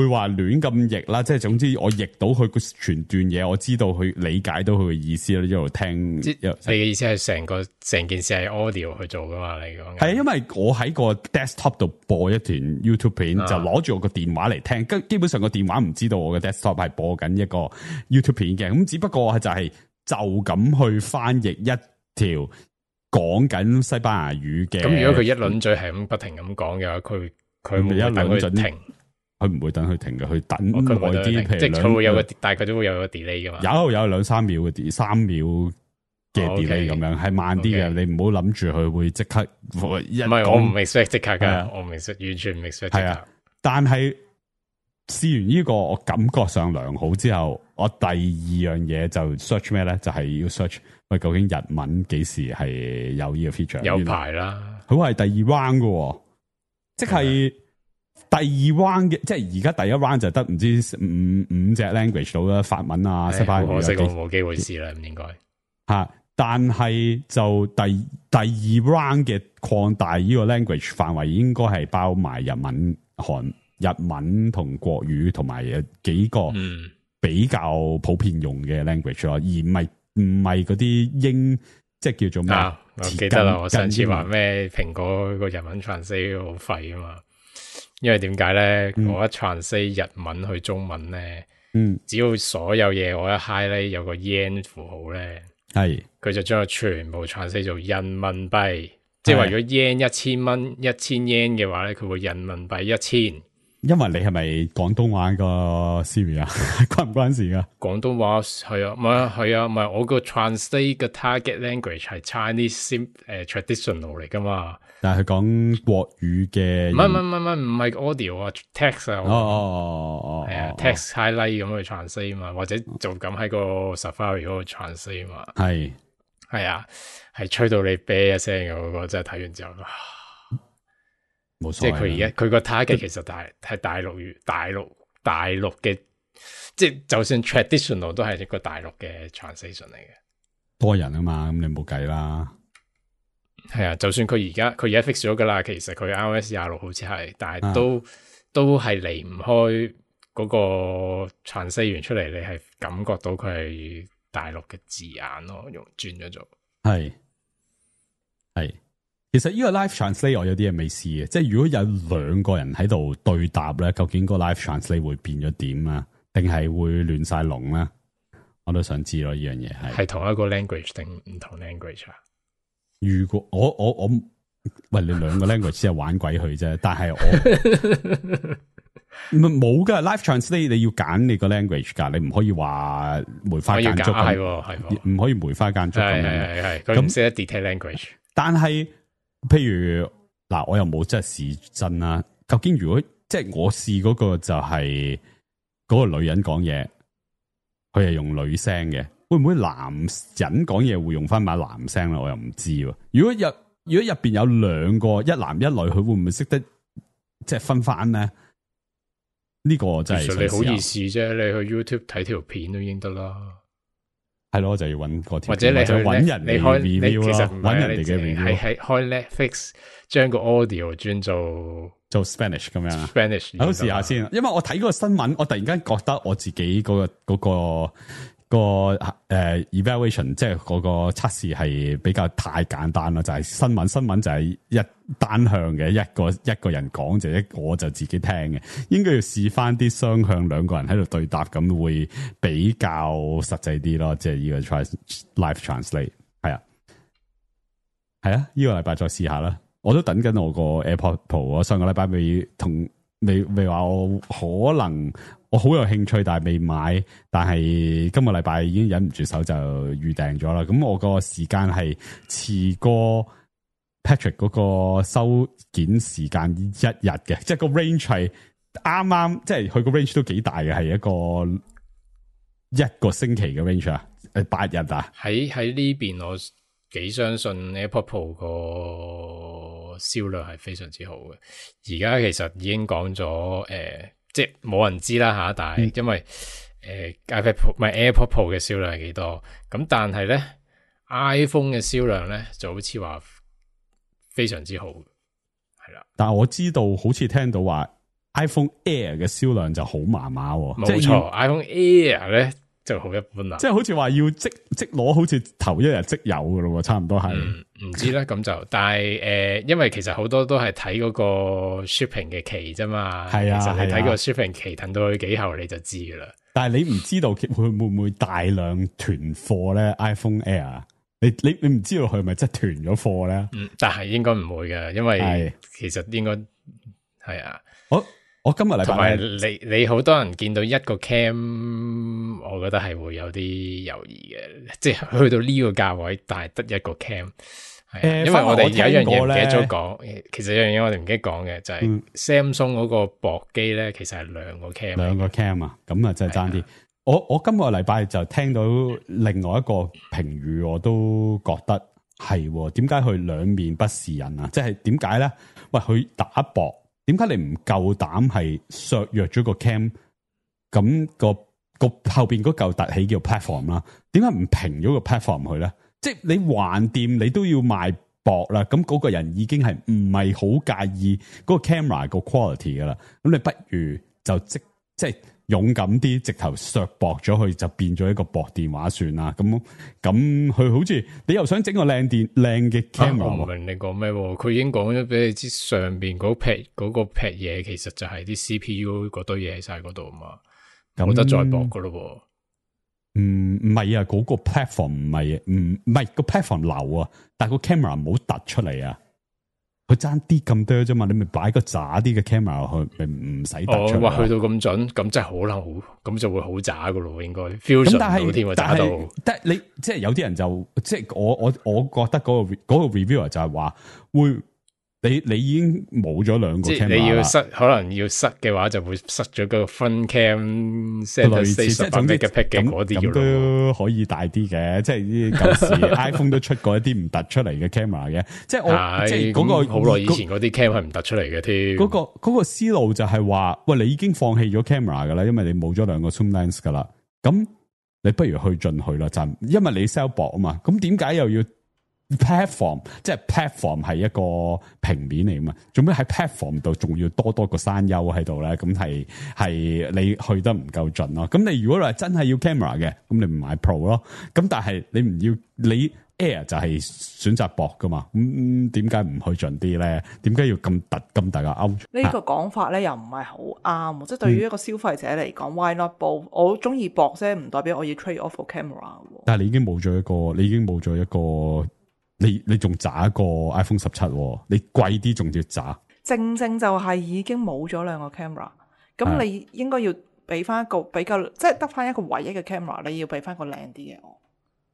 話亂咁譯啦，即係總之我譯到佢個全段嘢，我知道佢理解到佢嘅意思啦，一路聽。你嘅意思係成件事係 audio 去做噶嘛？你講係因為我喺個 desktop 度播一段 YouTube 片，就攞住我個電話嚟聽，基本上個電話唔知道我嘅 desktop 係播緊一個 YouTube 片嘅，咁只不過就咁去翻譯一條講緊西班牙語嘅。咁如果佢一輪嘴係咁不停咁講嘅話，佢冇一輪停。佢唔會等佢停嘅，佢等耐啲，譬如即係佢會有個大概都會有個 delay 噶嘛。有2-3秒嘅 3秒嘅 delay 咁樣，係慢啲嘅。你唔好諗住佢會即刻。唔係我唔 expect 即刻噶，我唔 expect 完全唔 expect 即刻。係啊，但係試完呢個，我感覺上良好之後，我第二樣嘢就 search 咩咧？就係要 search 喂，究竟日文幾時係有呢個 feature？有排啦，佢話係第2 round 嘅，即係。第2 round 嘅，即係而家第1 round 就得唔知五隻 language 到啦，法文啊、西班牙語。我冇機會試啦，唔應該吓。但係就第2 round 嘅擴大呢個 language 範圍，應該係包埋日文、日文同國語，同埋幾個比較普遍用嘅 language 咯，而唔係嗰啲英，即係叫做咩？我記得啦，我上次話咩蘋果個日文 translate 好廢啊嘛。因為點解咧？我一 translate 日文去中文咧，只要所有嘢我一 highlight 有個 yen 符號咧，係佢就將佢全部 translate 做人民幣。即係話如果 yen 1000蚊1000 yen 嘅話咧，佢會人民幣1000。因為你係咪廣東話個 Siri 啊？關唔關事噶？廣東話係啊，唔係我個 translate 嘅 target language 係 Chinese traditional 嚟噶嘛？但係佢講國語嘅，唔係 audio 啊 ，text 啊，係啊 ，text highlight 咁去 translate 嘛，或者就咁喺個 Safari 嗰度 translate 嘛，係啊，係吹到你啤一聲嘅嗰個，真係睇完之後。即係佢而家佢個 target 其實係大陸嘅，即係就算 traditional 都係一個大陸嘅 translation 嚟嘅。多人啊嘛，咁你冇計啦。係啊，就算佢而家 fix 咗噶啦，其實佢 iOS 26好似係，但係都係離唔開嗰個 translate 完出嚟，你係感覺到佢係大陸嘅字眼咯，用轉咗做係。其實呢個 live translate 我有啲嘢未試嘅，即係如果有2個人喺度對答咧，究竟個 live translate 會變咗點啊？定係會亂晒龍咧？我都想知咯，呢樣嘢係同一個 language 定唔同 language 啊？如果我喂你2個 language 先係玩鬼佢啫，但係我冇噶 live translate 你要揀你個 language 噶，你唔可以話梅花間竹係唔可以梅花間竹咁樣，係佢唔識得 detail language， 但係。譬如嗱，我又冇真係試真啦。究竟如果即係我試嗰個就係嗰個女人講嘢，佢係用女聲嘅，會唔會男人講嘢會用翻把男聲咧？我又唔知喎。如果入邊有2個，一男一女，佢會唔會識得即係分翻咧？呢個真係其實你好易試啫，你去 YouTube 睇條片都已經得啦。係咯，就要揾個條，或者你去揾人嚟 review 咯，揾人哋嘅 review，係開 Netflix 將個 audio 轉做 Spanish 咁樣。Spanish，好試下先，因為我睇嗰個新聞，我突然間覺得我自己嗰個 evaluation 即係嗰個測試係比較太簡單啦，就係新聞就係一單向嘅一個人講就我就自己聽嘅，應該要試翻啲雙向兩個人喺度對答咁會比較實際啲咯，即係呢個 live translate 係啊，呢個禮拜再試下啦。我都等緊我個 AirPod Pro， 我上個禮拜未話我可能我好有興趣，但係未買，但係今個禮拜已經忍唔住手就預訂咗啦。咁我個時間係遲過 Patrick 嗰個收件時間一日嘅，即係個 range 係啱，即係佢個 range 都幾大嘅，係一個星期嘅 range 啊，8日啊。喺呢邊我幾相信 AirPod Pro 個銷量係非常之好嘅。而家其實已經講咗即係冇人知啦吓，但係因為iPad Pro 唔係 AirPod Pro 嘅銷量係幾多，咁但係咧 iPhone 嘅銷量咧就好似話非常之好，係啦。但係我知道好似聽到話 iPhone Air 嘅銷量就好麻麻，冇錯 ，iPhone Air 咧就好一般啦，即係好似話要即攞，好似頭一日即有噶咯，差唔多係。唔知咧咁就，但係因為其實好多都係睇嗰個 shipping 嘅期啫嘛，係啊，其實你睇個 shipping 期等到去幾後你就知噶啦。但係你唔知道會唔會大量囤貨咧 ？iPhone Air， 你唔知道佢係咪真係囤咗貨咧？但係應該唔會嘅，因為其實應該係啊。我今日禮拜同埋你好多人見到一個 cam， 我覺得係會有啲猶豫嘅，即係去到呢個價位，但係得一個 cam，因為我哋有一樣嘢唔記得咗講，其實有樣嘢我哋唔記得講嘅就係 Samsung 嗰個薄機咧，其實係兩個 cam 啊，咁啊真係爭啲。我今個禮拜就聽到另外一個評語，我都覺得係點解佢兩面不是人啊？即係點解咧？喂，佢打薄。點解你唔夠膽係削弱咗個 cam？ 咁個後邊嗰嚿凸起叫 platform 啦？點解唔平咗個 platform 去咧？即係你橫掂，你都要賣薄啦。咁嗰個人已經係唔係好介意嗰個 camera 個 quality 噶啦？咁你不如就即係勇敢啲，直頭削薄咗佢，就變咗一個薄電話算啦。咁佢好似你又想整個靚嘅 camera，我唔明你講咩？佢已經講咗俾你知，上邊嗰個劈嘢，其實就係啲 CPU 嗰堆嘢喺晒嗰度嘛，冇得再薄噶咯。唔係啊，嗰個 platform 唔係個 platform 流啊，但係個 camera 唔好突出嚟啊。佢爭啲咁多啫嘛，你咪擺個渣啲嘅 camera 落去，咪唔使突出。哇，去到咁準，咁真係好難好，咁就會好渣噶咯，應該 fusion 到添啊，渣到。但係你即係有啲人就即係我覺得嗰個 reviewer 就係話會。你已經冇咗兩個 camera 啦，即係你要塞，可能要塞嘅話就會塞咗個 front cam， 類似即係總之咁都可以大啲嘅，即係舊時 iPhone 都出過一啲唔突出嚟嘅 camera 嘅，即係我即係嗰個好耐以前嗰啲 cam 係唔突出嚟嘅添。嗰個思路就係話，喂，你已經放棄咗 camera 噶啦，因為你冇咗兩個 zoom lens 噶啦，咁你不如去進去啦，就因為你 sell 薄啊嘛，咁點解又要？platform 即係 platform 係一個平面嚟嘛，做咩喺 platform 度仲要多個山丘喺度咧？咁係你去得唔夠盡咯。咁你如果話真係要 camera 嘅，咁你唔買 Pro 咯。咁但係你唔要你 Air 就係選擇薄噶嘛。咁點解唔去盡啲咧？點解要咁大個 out？呢個講法咧又唔係好啱，即係對於一個消費者嚟講，why not both？我中意薄啫，唔代表我要 trade off 個 camera。但係你已經冇咗一個。你仲渣一個 iPhone 17，你貴啲仲要渣，正就係已經冇咗兩個 camera， 咁你應該要俾翻一個比較，即係得翻一個唯一嘅 camera， 你要俾翻個靚啲嘅我。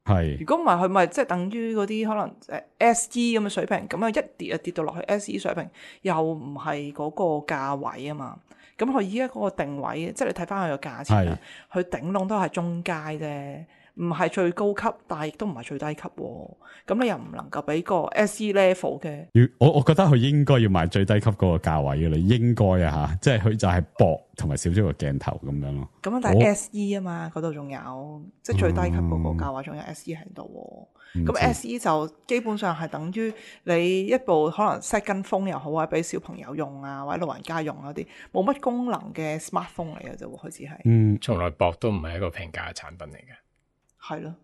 係，如果唔係佢咪即係等於嗰啲可能SE 咁嘅水平，咁啊一跌就跌到落去 SE 水平，又唔係嗰個價位啊嘛。咁佢依家嗰個定位，即係你睇翻佢個價錢啊，佢頂籠都係中階啫。唔係最高級，但係亦都唔係最低級喎。咁你又唔能夠俾個 SE level 嘅。我覺得佢應該要賣最低級嗰個價位嘅，你應該啊嚇，即係佢就係薄同埋少咗個鏡頭咁樣咯。咁但係 SE 啊嘛，嗰度仲有即係最低級嗰個價位仲有 SE 喺度喎。咁 SE 就基本上係等於你一部可能 set 跟風又好啊，俾小朋友用啊，或者老人家用嗰啲冇乜功能嘅 smartphone 嚟嘅啫喎，佢只係。從來薄都唔係一個平價嘅產品嚟嘅。係咯，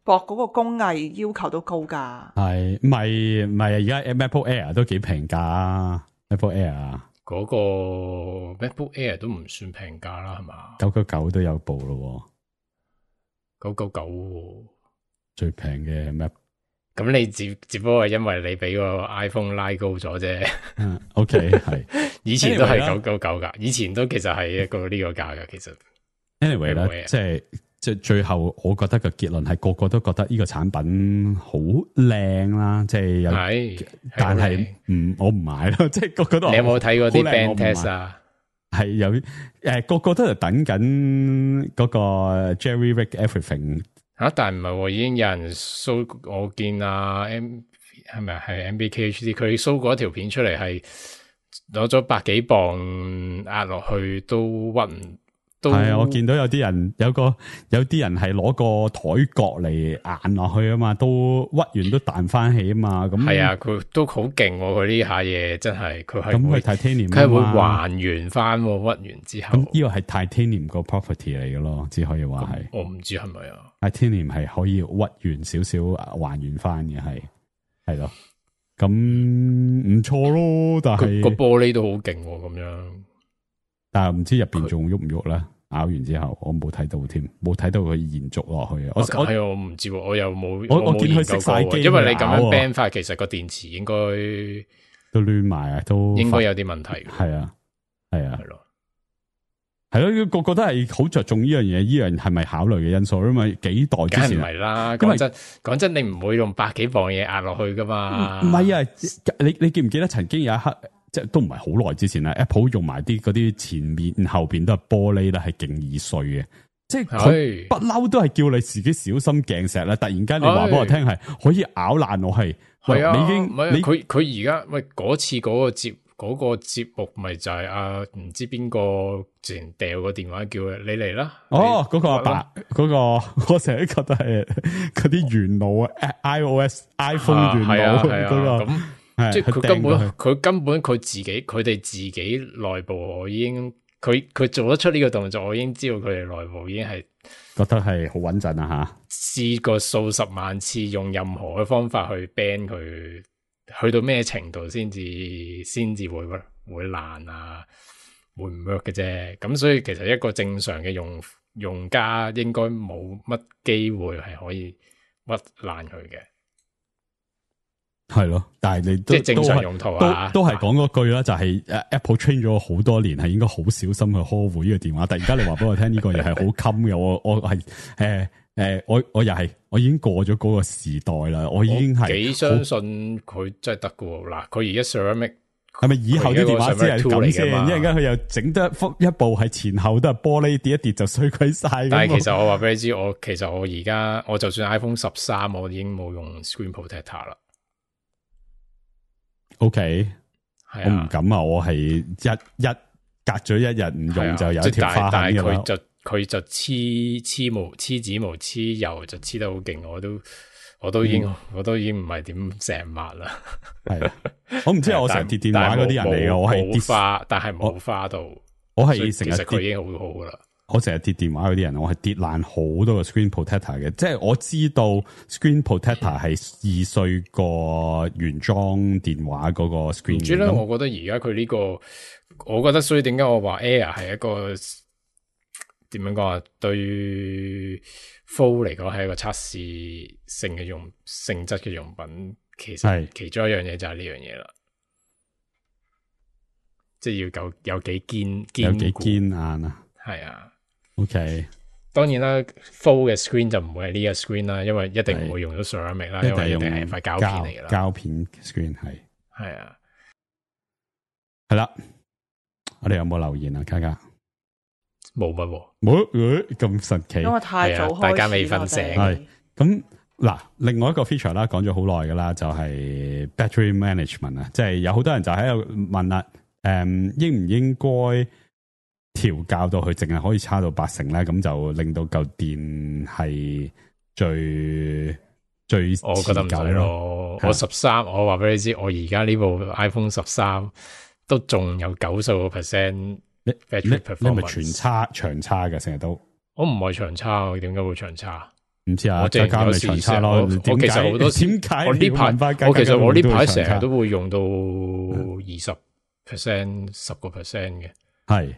博嗰個工藝要求都高㗎。係唔係而家 MacBook Air 都幾平價 ，MacBook Air 嗰個 MacBook Air 都唔算平價啦，係嘛？999都有部咯，999最平嘅 Mac。咁你只不過係因為你俾個 iPhone 拉高咗啫。OK 係，以前都係999噶，以前都其實係一個呢個價噶。其實 anyway 咧，即係最後，我覺得個結論係個個都覺得呢個產品好靚啦，即係有，但係我唔買咯，即係個個都。你有冇睇過啲 band test 啊？係有個個都係等緊嗰個 Jerry Rig Everything。但係唔係，已經有人 show， 我見係咪係 MBKHD 佢 show 過一條片出嚟，係攞咗100幾磅壓落去都屈唔到。係啊，我見到有啲人有啲人係攞個台角嚟硬落去啊嘛，都屈完都彈翻起啊嘛。咁係啊，佢都好勁，佢呢下嘢真係佢係咁佢 Titanium 佢係會還原翻屈完之後。咁呢個係 Titanium 個 property 嚟嘅咯，只可以話係。我唔知係咪啊？Titanium 係可以屈完少少還原翻嘅，係咯。咁唔錯咯，但係個玻璃都好勁咁樣。但係唔知入邊仲喐唔喐咧？咬完之後，我冇睇到添，冇睇到佢延續落去啊！我唔知，我又冇我見佢熄晒機，因為你咁樣 ban 法，其實個電池應該都亂埋啊，都應該有啲問題。係啊，係咯，個個都係好着重呢樣嘢，呢樣係咪考慮嘅因素？因為幾代之前唔係啦，講真，你唔會用100幾磅嘢壓落去噶嘛？唔係啊，你記唔記得曾經有一刻？即係都唔係好耐之前啦 ，Apple 用埋啲嗰啲前面後邊都係玻璃啦，係勁易碎嘅。即係佢不嬲都係叫你自己小心鏡石啦。突然間你話俾我聽係可以咬爛我係，係你已經佢而家嗰次嗰個節目咪就係唔知邊個之前掉個電話叫你嚟啦。嗰個阿伯嗰個，我成日覺得係嗰啲元老啊 ，iOS iPhone 元老嗰個。即係佢根本佢哋自己內部，我已經佢做得出呢個動作，我已經知道佢哋內部已經係覺得係好穩陣啊吓，試過數十萬次用任何嘅方法去 ban 佢，去到咩程度先至會爛啊，會唔 work 嘅啫。咁所以其實一個正常嘅用家應該冇乜機會係可以屈爛佢嘅。係咯，但係你即係正常用途啊，都係講嗰句啦，就係 Apple train 咗好多年，係應該好小心去呵護呢個電話。突然間你話俾我聽呢個嘢係好襟嘅，我係我已經過咗嗰個時代啦，我已經係幾相信佢真係得嘅。嗱，佢而家 Ceramic 係咪以後啲電話先係咁先？一陣間佢又整得一部係前後都係玻璃，跌一跌就碎鬼晒。但係其實我話俾你知，我而家我就算 iPhone 13，我已經冇用 Screen Protector 啦。OK，我唔敢啊！我係一隔咗一日唔用就有一條花痕嘅啦。但係佢就黐紙毛黐油就黐得好勁，我都已經唔係點成抹啦。係我唔知我成日跌電話嗰啲人嚟嘅，我係跌花，但係冇花到。我係成日其實佢已經好好噶啦。我成日跌電話嗰啲人，我係跌爛好多個 screen protector 嘅，即係我知道 screen protector 係易碎過原裝電話嗰個 screen。唔知咧，我覺得而家佢呢個，我覺得所以點解我話 Air 係一個點樣講啊？對 Fold 嚟講係一個測試性嘅性質嘅用品，其實其中一樣嘢就係呢樣嘢啦，即係要有幾堅硬啊！係啊。OK，當然啦 ，Fold 嘅 screen 就唔會係呢個 screen 啦，因為一定唔會用到 ceramic 啦，因為一定係塊膠片嚟噶啦。膠片 screen 係啊，係啦。我哋有冇留言啊？卡卡冇乜喎，冇咁神奇，因為太早開始，大家未瞓醒。係咁嗱，另外一個 feature 啦，講咗好耐噶啦，就係 battery management 啊，即係有好多人就喺度問啦，應唔應該調校到佢淨係可以叉到80%咧，咁就令到嚿電係最我覺得唔使咯。我13，我話俾你知，我而家呢部 iPhone 13都仲有90%。你咪全叉長叉嘅，成日都。我唔係長叉，點解會長叉？唔知啊，加咪長差咯。我其實好多點解我呢排我呢排成日都會用到20%、10% 嘅，係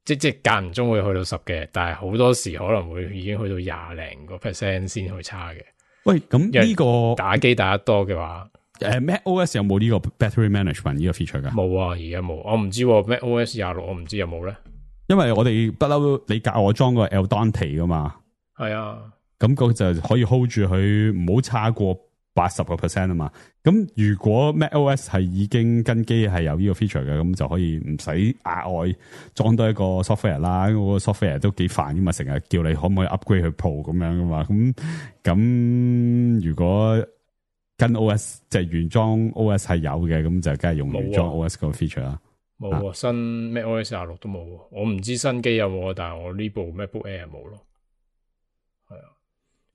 即係間唔中會去到10嘅，但係好多時可能會已經去到20零個%先去差嘅。喂，咁呢個打機打得多嘅話，MacOS 有冇呢個 battery management 呢個 feature 噶？冇啊，而家冇，我唔知 MacOS 26，我唔知有冇咧。因為我哋不嬲，你教我裝個 Eldonte 噶嘛，係啊。咁嗰就可以 hold 住佢，唔好差過80% 啊嘛。咁如果 macOS 係已經跟機係有呢個 feature 嘅，咁就可以唔使額外裝多一個 software 啦。嗰個 software 都幾煩噶嘛，成日叫你可唔可以 upgrade 去 Pro 咁樣噶嘛。咁如果跟 OS 即係原裝 OS 係有嘅，咁就梗係用原裝 OS 個 feature 啦。冇啊，新 macOS 26都冇。我唔知新機有冇，但係我呢部 MacBook Air 冇咯。係啊。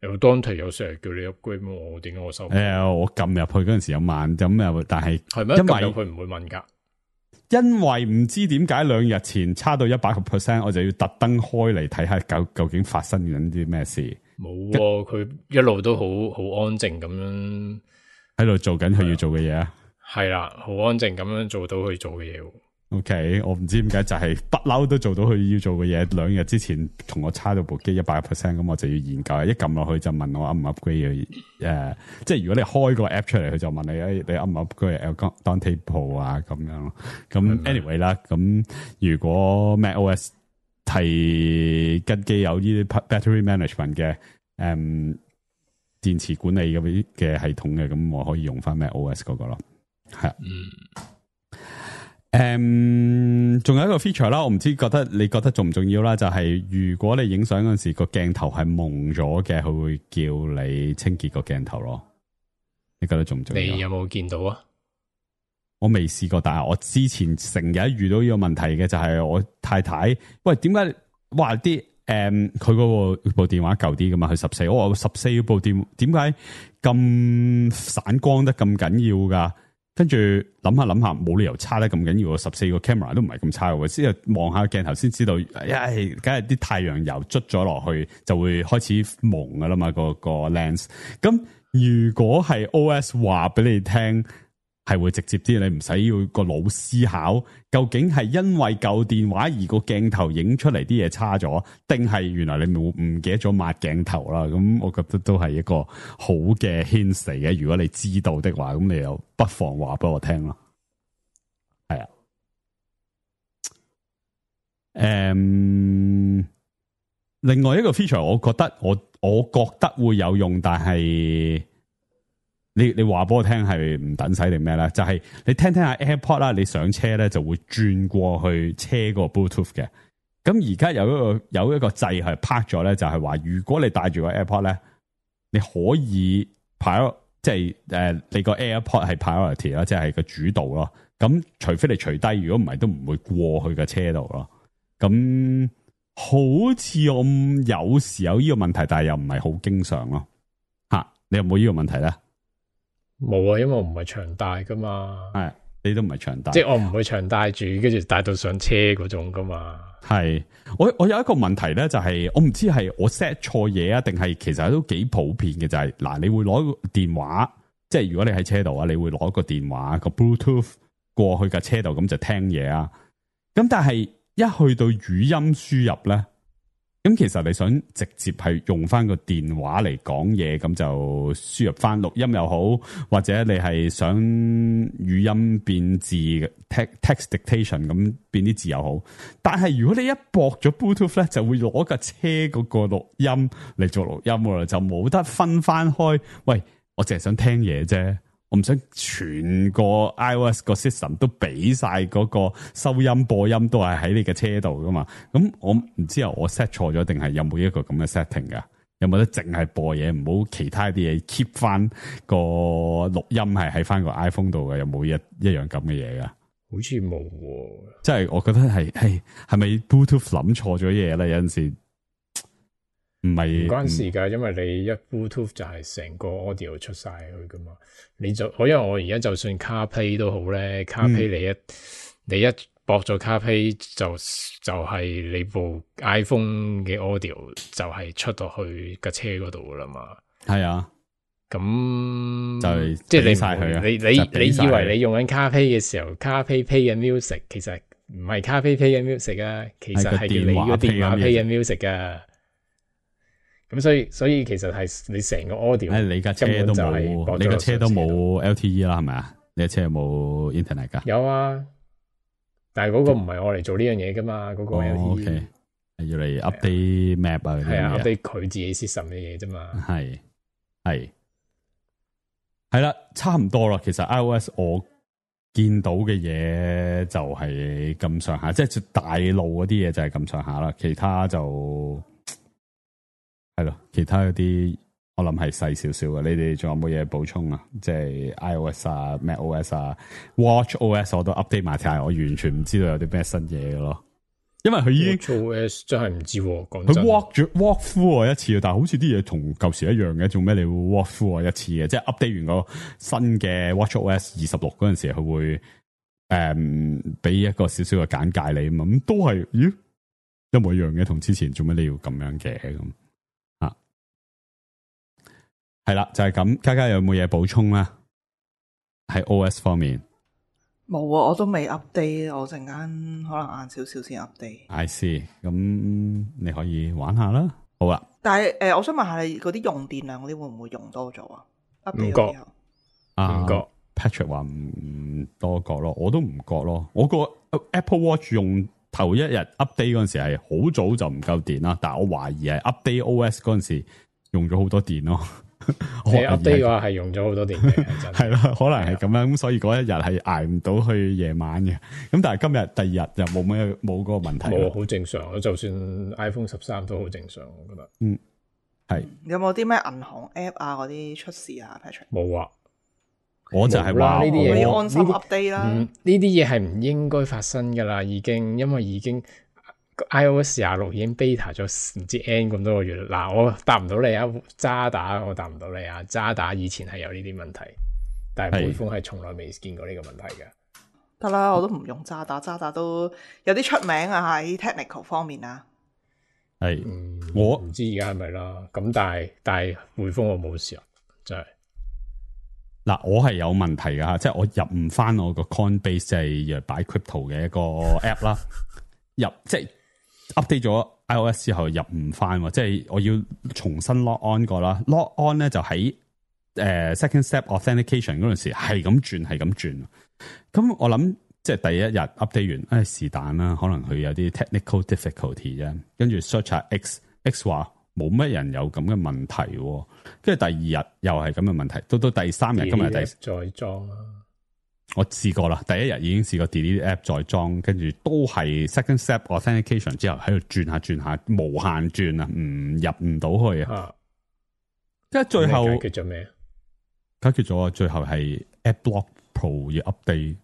有當題有成日叫你 upgrade， 我點解我收？我撳入去嗰陣時有慢咁又，但係係咩？撳入去唔會問噶，因為唔知點解2日前差到100%，我就要特登開嚟睇下究竟發生緊啲咩事。冇喎，佢一路都好安靜咁樣喺度做緊佢要做嘅嘢啊。係啦，好安靜咁樣做到佢做嘅嘢。OK， 我唔知點解就係不嬲都做到佢要做嘅嘢。2日之前同我差到部機100%，咁我就要研究。一撳落去就問我 up 唔 upgrade 即係如果你開個 app 出嚟，佢就問你 up 唔 upgrade Eldonte Pro 啊咁樣咯。咁 anyway 啦，咁如果 macOS 係跟機有呢啲 battery management 嘅電池管理嘅系統嘅，咁我可以用翻 macOS 嗰個咯。係仲有一個 feature 啦，我唔知你覺得重唔重要啦，就係如果你影相嗰陣時個鏡頭係蒙咗嘅，佢會叫你清潔個鏡頭咯。你覺得重唔重要？你有冇見到啊？我未試過，但係我之前成日遇到呢個問題嘅，就係我太太，喂，點解哇啲佢嗰部電話舊啲噶嘛？佢14，我話14部電點解咁散光得咁緊要噶？跟住諗下冇理由差得咁緊要，14個 camera 都唔係咁差嘅，先係望下鏡頭先知道，梗係啲太陽油捽咗落去就會開始蒙噶啦嘛，個 lens。咁如果係 OS 話俾你聽，係會直接啲，你唔使要個腦思考，究竟係因為舊電話而個鏡頭影出嚟啲嘢差咗，定係原來你唔記得咗抹鏡頭啦？咁我覺得都係一個好嘅 hint 嚟嘅。如果你知道的話，咁你又不妨話俾我聽咯。係啊，另外一個 feature，我覺得會有用，但係。你話俾我聽係唔等使定咩咧？就係你聽下 AirPod 啦，你上車咧就會轉過去車個 Bluetooth 嘅。咁而家有一個掣係拍咗咧，就係話如果你帶住個 AirPod 咧，你可以即係你個 AirPod 係 priority 啦，即係個主導咯。咁除非你除低，如果唔係都唔會過去個車度咯。咁好似我有時有呢個問題，但係又唔係好經常咯。你有冇呢個問題咧？冇啊，因為我唔係長帶噶嘛。係，你都唔係長帶，即係我唔會長帶住，跟住帶到上車嗰種噶嘛。係，我有一個問題咧，就係我唔知係我 set 錯嘢啊，定係其實都幾普遍嘅，就係嗱，你會攞個電話，即係如果你喺車度啊，你會攞個電話個 Bluetooth 過去架車度，咁就聽嘢啊。咁但係一去到語音輸入咧。咁其實你想直接係用翻個電話嚟講嘢，咁就輸入翻錄音又好，或者你係想語音變字 text dictation 咁變啲字又好。但係如果你一駁咗 Bluetooth 咧，就會攞架車嗰個錄音嚟做錄音㗎啦，就冇得分翻開。喂，我淨係想聽嘢啫。我唔想全個 iOS 個 system 都俾晒嗰個收音播音都係喺你嘅車度噶嘛？咁我唔知我 set 錯咗定係有冇一個咁嘅 setting 噶？有冇得淨係播嘢，唔好其他啲嘢 keep 翻個錄音係喺翻個 iPhone 度嘅？有冇一樣咁嘅嘢噶？好似冇喎，即係我覺得係咪 Bluetooth 諗錯咗嘢咧？有陣時唔關事噶，因為你一 Bluetooth 就係成個 audio 出晒去噶嘛。因為我而家就算 CarPlay 都好咧，CarPlay 你一駁咗 CarPlay 就係你部 iPhone 嘅 audio 就係出到去架車嗰度噶啦嘛。係啊，咁就即係你晒佢啊！你以為你用緊 CarPlay 嘅時候 ，CarPlay play 緊 music， 其實唔係 CarPlay play 緊 music 啊，其實係你個電話 play 緊 music 噶。咁所以其實係你成個 audio，你架車都冇，你架車都冇 LTE 啦，係咪啊？你架車有冇 internet 噶？有啊，但係嗰個唔係我嚟做呢樣嘢噶嘛，嗰個 LTE 係要嚟 update map 啊，係啊 update 佢自己 system 嘅嘢啫嘛。係啦，差唔多啦。其實 iOS 我見到嘅嘢就係咁上下，即係大路嗰啲嘢就係咁上下啦。其他就係咯，其他嗰啲我諗係細少少嘅。你哋仲有冇嘢補充啊？即係 iOS 啊、macOS 啊、watchOS 我都 update 埋睇下，我完全唔知道有啲咩新嘢嘅咯。因為佢已經 watchOS 真係唔知，講佢 walk through 我一次，但係好似啲嘢同舊時一樣嘅，做咩你會 walk through 我一次嘅？即係 update 完個新嘅 watchOS 26嗰陣時，佢會俾一個少少嘅簡介你嘛，咁都係咦一模一樣嘅，同之前做咩你要咁樣嘅咁啊？係啦，就係咁。嘉嘉有冇嘢補充咧？喺 OS 方面。冇啊，我都未 update， 我陣間可能晏少少先 update。I see， 咁你可以玩下啦。好啦，但係我想問下你嗰啲用電量嗰啲會唔會用多咗啊？唔覺唔覺 Patrick 話唔多覺咯，我都唔覺咯。我個 Apple Watch 用頭一日 update 嗰陣時係好早就唔夠電啦，但係我懷疑係 update OS 嗰陣時用咗好多電咯。你 update 嘅話係用咗好多電嘅，係啦，可能係咁樣，咁所以嗰一日係捱唔到去夜晚嘅。咁但係今日第二日就冇嗰個問題。冇，好正常。就算 iPhone 13都好正常，我覺得。係。有冇啲咩銀行 app 啊嗰啲出事啊 Patrick？ 冇啊，我就係話呢啲嘢要安心 update 啦。呢啲嘢係唔應該發生噶啦，因為已經。iOS 26已經 beta 咗唔知 N 咁多個月啦。嗱，我答唔到你啊，渣打我答唔到你啊。渣打以前係有呢啲問題，但係匯豐係從來未見過呢個問題嘅。得啦，我都唔用渣打，渣打都有啲出名啊，喺 technical 方面啊。係，我唔知而家係咪啦。咁但係匯豐我冇事啊，真係。嗱，我係有問題噶，即係我入唔翻我個 Coinbase 即係擺 crypto 嘅一個 app 啦，入即係。update 咗 iOS 之後入唔翻，即係我要重新 log on 過啦。log on 咧就喺second step authentication 嗰陣時係咁轉。咁我諗即係第一日 update 完，是但啦，可能佢有啲 technical difficulty 啫。跟住 search 下 X 話冇乜人有咁嘅問題，跟住第二日又係咁嘅問題，到第三日今日再裝啦。我試過啦，第一日已經試過 delete app 再裝，跟住都係 second step authentication 之後喺度轉下，無限轉啊，入唔到去啊。即係最後解決咗咩？解決咗，最後係 AdBlock Pro 要 update，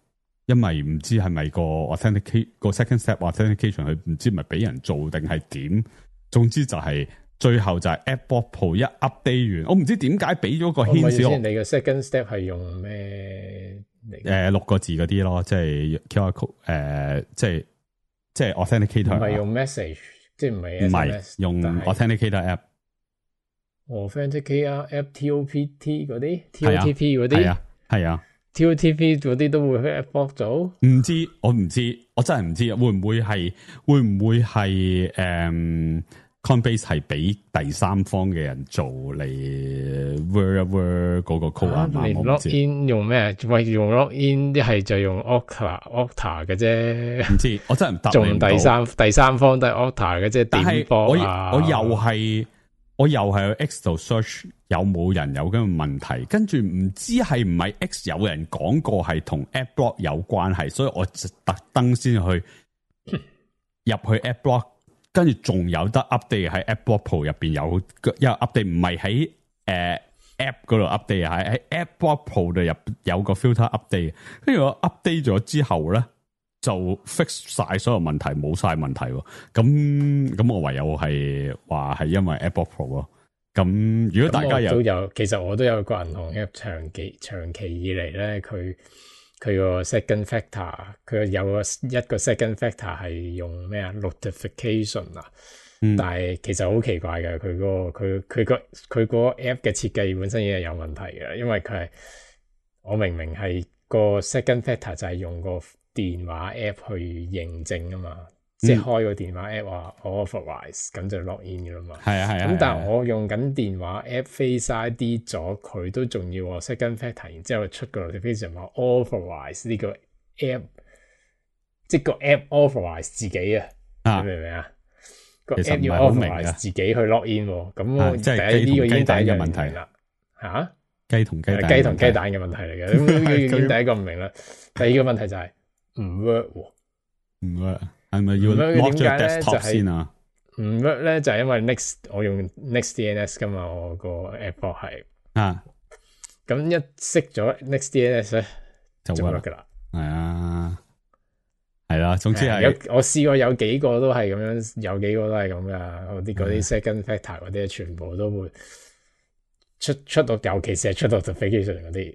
因為唔知係咪個 authenticate 個 second step authentication 佢唔知係咪俾人做定係點，總之就係最後就係 AdBlock Pro 一 update 完，我唔知點解俾咗個顯示。你嘅 second step 係用咩？6個字嗰啲咯，即係 QR code，即係 authenticator，唔係用 message， 即係唔係用 authenticator app。authenticator app TOPT 嗰啲 TOTP 嗰啲係啊 TOTP 嗰啲都會去 AdBlock 做？我唔知，我真係唔知，會唔會係Coinbase 係俾第三方嘅人做嚟 word 嗰個 code 啊？你 login 用咩？喂，用 login 一係就用 Okta 嘅啫。唔知，我真係唔答你唔到。仲第三方都係 Okta 嘅啫。但係我又係去 X 度 search 有冇人有咁嘅問題，跟住唔知係唔係 X 有人講過係同 AdBlock 有關係，所以我就特登先去入去 AdBlock。跟住仲有得 update 喺 AdBlock Pro 入邊有，因為 update 唔係喺app 嗰度 update，喺 AdBlock Pro 度有個 filter update。跟住我 update 咗之後咧，就 fix 晒所有問題，冇晒問題。咁我唯有係話係因為 AdBlock Pro 咯。咁如果大家其實我都有個銀行 app 長期以嚟咧，佢佢個 second factor， 佢有一個 second factor 係用咩啊 notification 啊，但係其實好奇怪嘅，佢個 app 嘅設計本身已經係有問題嘅，因為佢係我明明係個 second factor 就係用個電話 app 去認證啊嘛。即係開個電話 app 話 authorize 咁就 log in 嘅啦嘛。係啊。咁但係我用緊電話 app Face ID 咗，佢都仲要 second factor， 然之後出個 notification 話 authorize 呢個 app， 即係個 app authorize 自己啊。你明唔明啊？個 app 要 authorize 自己去 log in 喎。咁即係呢個已經第一嘅問題啦。嚇？雞同雞蛋嘅問題嚟嘅。咁已經第一個唔明啦。第二個問題就係唔 work 喎。唔 work。係咪要 lock 咗 desktop 先啊？唔 work 咧就係因為 Next 我用 NextDNS 噶嘛，我個 app 係咁一熄咗 NextDNS 咧就 work 噶啦。係啦，總之係我試過有幾個都係咁樣，有幾個都係咁噶。嗰啲 second factor 嗰啲全部都會出到，尤其是係出到 notification 嗰啲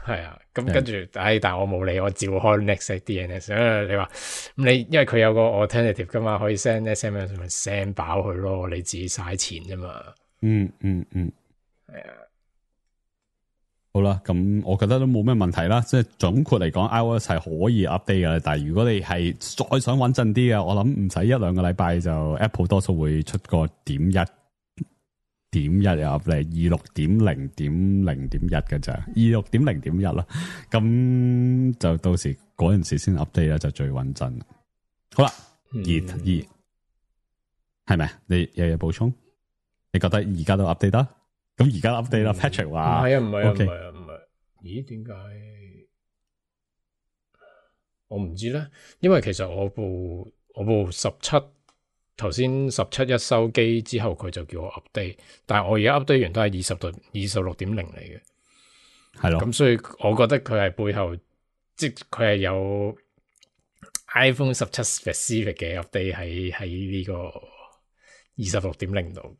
係啊。咁跟住，但係我冇理，我照開 NextDNS。你話你因為佢有個 alternative 噶嘛，可以 send SMS 咪 send 飽佢咯，你自己嘥錢啫嘛。係啊。好啦，咁我覺得都冇咩問題啦。即係總括嚟講 ，iOS 係可以 update 嘅。但係如果你係再想穩陣啲嘅，我諗唔使1-2個禮拜就 Apple 多數會出個.1又 up 嚟26.0.0.1嘅咋26.0.1啦，咁就到時嗰陣時先 update 啦，就最穩陣。好啦，係咪？你有嘢補充？你覺得而家都 update 得？咁而家 update 啦。Patrick 話唔係，咦？點解？我唔知咧，因為其實我部17。頭先17一收機之後，佢就叫我 update， 但係我而家 update 完都係26.0嚟嘅，係咯。咁所以我覺得佢係背後，即係佢係有 iPhone 17 specific 嘅 update 喺呢個26.0度。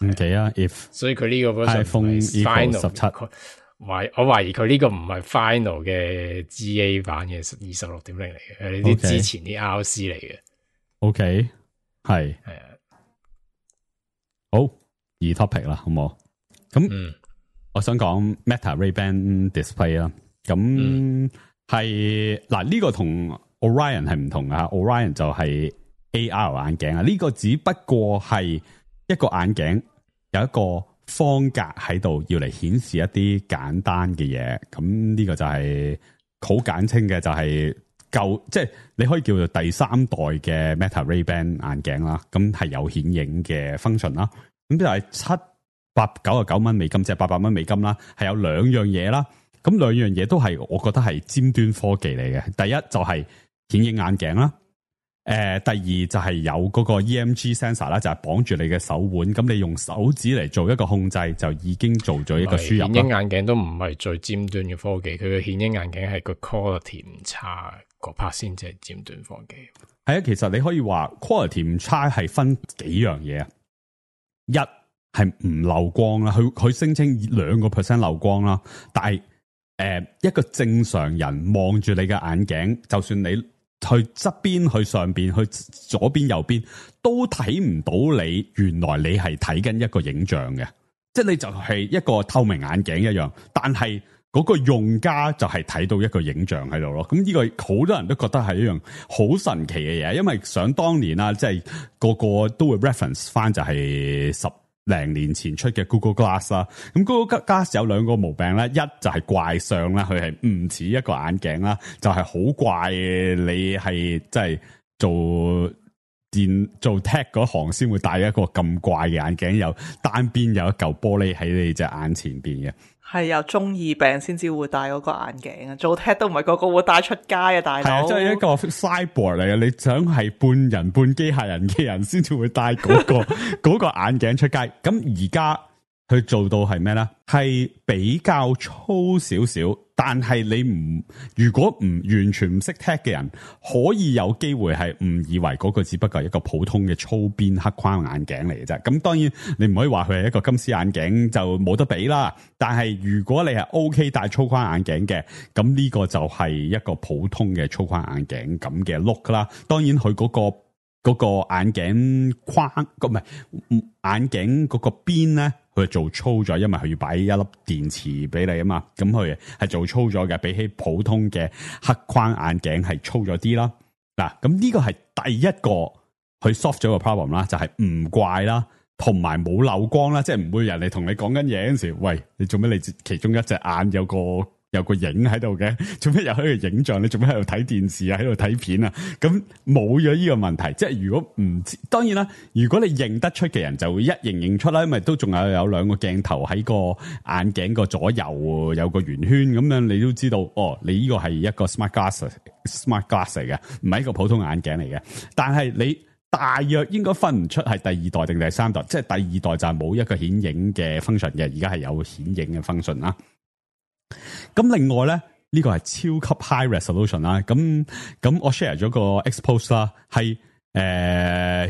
唔奇啊 ，if 所以佢呢個 iPhone final 17，我懷疑佢呢個唔係 final 嘅 GA 版嘅26.0嚟嘅，係啲之前啲 RC 嚟嘅。OK。係啊，好topic 啦，好唔好？咁，我想講 Meta Ray-Ban Display 啦。咁係嗱，呢個同 Orion 係唔同噶。Orion 就係 AR 眼鏡啊，呢個只不過係一個眼鏡有一個方格喺度，要嚟顯示一啲簡單嘅嘢。咁呢個就係好簡稱嘅，就係。即係你可以叫做第3代嘅 Meta Ray-Ban 眼鏡啦，咁係有顯影嘅 function 啦，咁就係799蚊美金，即係800蚊美金啦，係有2樣嘢啦，咁2樣嘢都係我覺得係尖端科技嚟嘅。第一就係顯影眼鏡啦，第二就係有嗰個 EMG sensor 啦，就係綁住你嘅手腕，咁你用手指嚟做一個控制，就已經做咗一個輸入。顯影眼鏡都唔係最尖端嘅科技，佢嘅顯影眼鏡係個 quality 唔差。個 part 先至係尖端科技。係啊，其實你可以話 quality 唔差係分幾樣嘢啊。一係唔漏光啦，佢聲稱2% 漏光啦，但係一個正常人望住你嘅眼鏡，就算你去側邊、去上邊、去左邊、右邊，都睇唔到你原來你係睇緊一個影像嘅，即係你就係一個透明眼鏡一樣，但係嗰個用家就係睇到一個影像喺度咯，咁呢個好多人都覺得係一樣好神奇嘅嘢，因為想當年啊，即係個個都會 reference 翻就係10零年前出嘅 Google Glass 啦。咁 Google Glass 有2個毛病咧，一就係怪相啦，佢係唔似一個眼鏡啦，就係好怪嘅，你係即係做 tech 嗰行先會戴一個咁怪嘅眼鏡，有單邊有一嚿玻璃喺你隻眼前邊嘅。係有中二病先至會戴嗰個眼鏡啊！做 tech 都唔係個個會戴出街啊，大佬。係啊，即係一個 cyborg 嚟嘅，你想係半人半機械人嘅人先至會戴嗰個眼鏡出街。咁而家去做到係咩咧？係比較粗少少，但係你如果唔完全唔識 tech 嘅人，可以有機會係誤以為嗰個只不過係一個普通嘅粗邊黑框眼鏡嚟嘅啫。咁當然你唔可以話佢係一個金絲眼鏡就冇得比啦。但係如果你係 OK 戴粗框眼鏡嘅，咁呢個就係一個普通嘅粗框眼鏡咁嘅 look 啦。當然佢嗰個眼鏡框唔係眼鏡嗰個邊咧，佢做粗咗，因為佢要擺一粒電池俾你啊嘛。咁佢係做粗咗嘅，比起普通嘅黑框眼鏡係粗咗啲啦。嗱，咁呢個係第一個佢 solve 咗個 problem 啦，就係唔怪啦，同埋冇漏光啦，即係唔會人哋同你講緊嘢嗰陣時，喂，你做咩你其中一隻眼有個影喺度嘅，做咩又喺度影像？你做咩喺度睇電視啊？喺度睇片啊？咁冇咗呢個問題，即係如果唔知，當然啦，如果你認得出嘅人就會一認出啦，因為都仲有兩個鏡頭喺個眼鏡個左右有個圓圈咁樣，你都知道哦，你呢個係一個 smart glass 嚟嘅，唔係一個普通眼鏡嚟嘅。但係你大約應該分唔出係第二代定第三代，即係第二代就係冇一個顯影嘅 function 嘅，而家係有顯影嘅 function 啦。咁另外咧，呢個係超級 high resolution 啦。咁我 share 咗個 expose 啦，係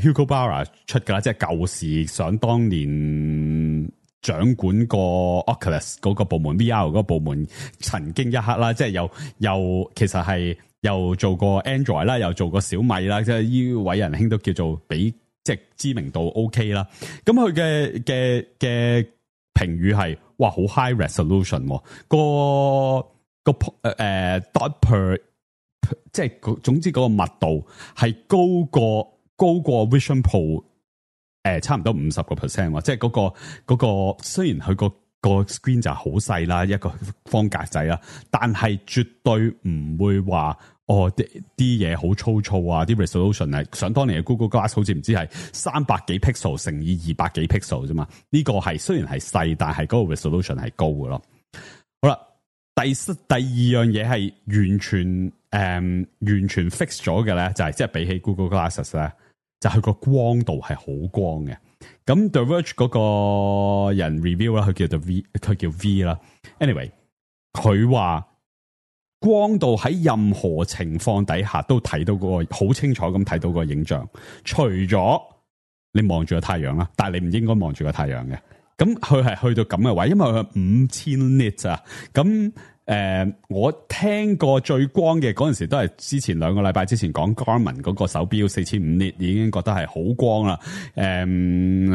Hugo Barra 出噶啦，即係舊時想當年掌管過 Oculus 嗰個部門 VR 嗰個部門曾經一刻啦，即係又其實係又做過 Android 啦，又做過小米啦，即係呢位仁兄都叫做比即係知名度 OK 啦。咁佢嘅評語係哇好 high resolution，個 dot per 即係總之嗰個密度係高過 Vision Pro 差唔多50%，即係嗰個雖然佢個 screen 就好細啦，一個方格仔啦，但係絕對唔會話啲嘢好粗糙啊！啲 resolution 係想當年嘅 Google Glass 好似唔知係300幾 pixel 乘以200幾 pixel 啫嘛。呢個係雖然係細，但係嗰個 resolution 係高嘅咯。好啦，第二樣嘢係完全 fix 咗嘅咧，就係即係比起 Google Glasses 咧，就係佢個光度係好光嘅。咁 The Verge 嗰個人 review 啦，佢叫 V 啦。Anyway， 佢話光度喺任何情況底下都睇到嗰個好清楚咁睇到個影像，除咗你望住個太陽啦，但係你唔應該望住個太陽嘅。咁佢係去到咁嘅位，因為佢係5000 nits 啊。咁我聽過最光嘅嗰陣時都係之前2個禮拜之前講 Garmin 嗰個手錶4500 nit 已經覺得係好光啦。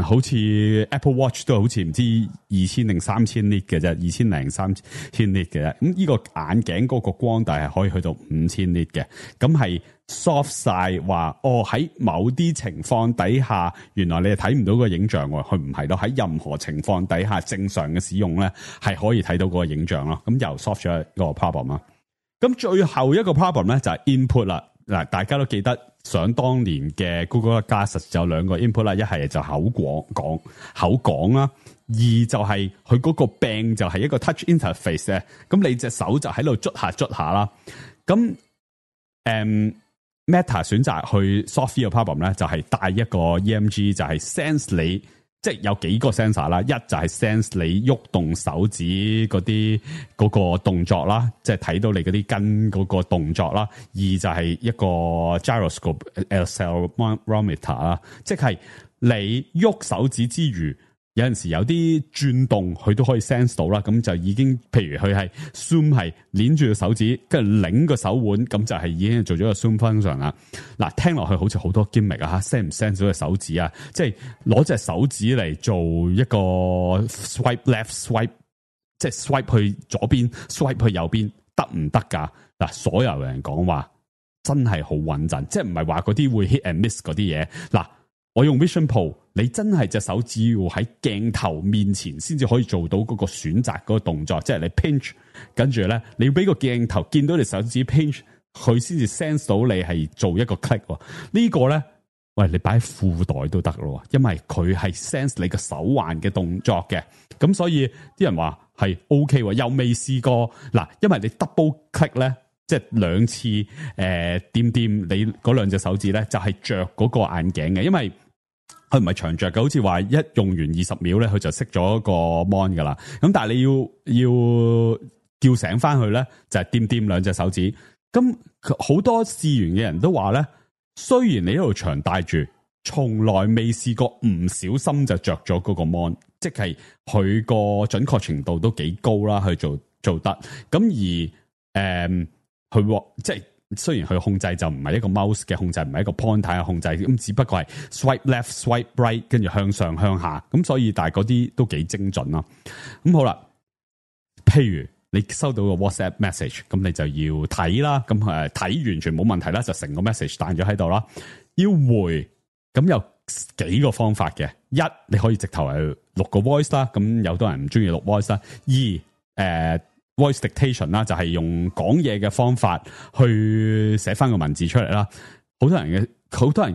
好似 Apple Watch 都好似唔知2000定3000 nit 嘅啫，2000零3000 nit 嘅啫。咁呢個眼鏡嗰個光度係可以去到5000 nit 嘅，咁係 soft 晒話喺某啲情況底下，原來你係睇唔到個影像喎，佢唔係咯，喺任何情況底下正常嘅使用咧係可以睇到個影像咯。咁又 soft 咗一個 problem 啦。咁最後一個 problem 咧就係 input 啦。嗱，大家都記得想當年嘅 Google Glass 就有2個 input 啦，一係就口講啦，二就係佢嗰個柄就係一個 touch interface 嘅，咁你隻手就喺度捽下啦。咁Meta 選擇去 solve 呢個 problem 咧，就係帶一個 EMG， 就係 sense 你，即係有幾個 sensor 啦，一就係 sense 你喐動手指嗰個動作啦，即係睇到你嗰啲根嗰個動作啦，二就係一個 gyroscope accelerometer 啦，即係你喐手指之餘，有陣時有啲轉動佢都可以 sense 到啦，咁就已經譬如佢係 zoom 係捏住個手指，跟住擰個手腕，咁就係已經做咗個 zoom function 啦。嗱，聽落去好似好多 gimmick 啊，sense 唔 sense 到個手指啊？即係攞隻手指嚟做一個 swipe left swipe， 即係 swipe 去左邊 swipe 去右邊，得唔得㗎？嗱，所有人講話真係好穩陣，即係唔係話嗰啲會 hit and miss 嗰啲嘢。嗱，我用 Vision Pro， 你真係隻手指要喺鏡頭面前先至可以做到嗰個選擇嗰個動作，即係你 pinch， 跟住咧你要俾個鏡頭見到你手指 pinch， 佢先至 sense 到你係做一個 click。呢個咧，喂，你擺喺褲袋都得咯，因為佢係 sense 你個手環嘅動作嘅。咁所以啲人話係 OK， 又未試過嗱，因為你 double click 咧，即係2次掂你嗰2隻手指咧，就係着嗰個眼鏡嘅，因為佢唔係長着嘅，好似話一用完20秒咧，佢就熄咗個 mon 噶啦。咁但係你要叫醒翻佢咧，就係掂兩隻手指。咁好多試完嘅人都話咧，雖然你一路長戴住，從來未試過唔小心就着咗嗰個 mon， 即係佢個準確程度都幾高啦，去做得。咁而佢即係。雖然佢控制就唔係一個 mouse 嘅控制，唔係一個 pointer 嘅控制，咁只不過係 swipe left、swipe right， 跟住向上向下，咁所以但係嗰啲都幾精準咯。咁好啦，譬如你收到個 WhatsApp message， 咁你就要睇啦，咁睇完全冇問題啦，就成個 message 彈咗喺度啦。要回咁有幾個方法嘅，一你可以直頭係錄個 voice 啦，咁有多人唔中意錄 voice 啦。二voice dictation 啦，就係用講嘢嘅方法去寫翻個文字出嚟啦。好多人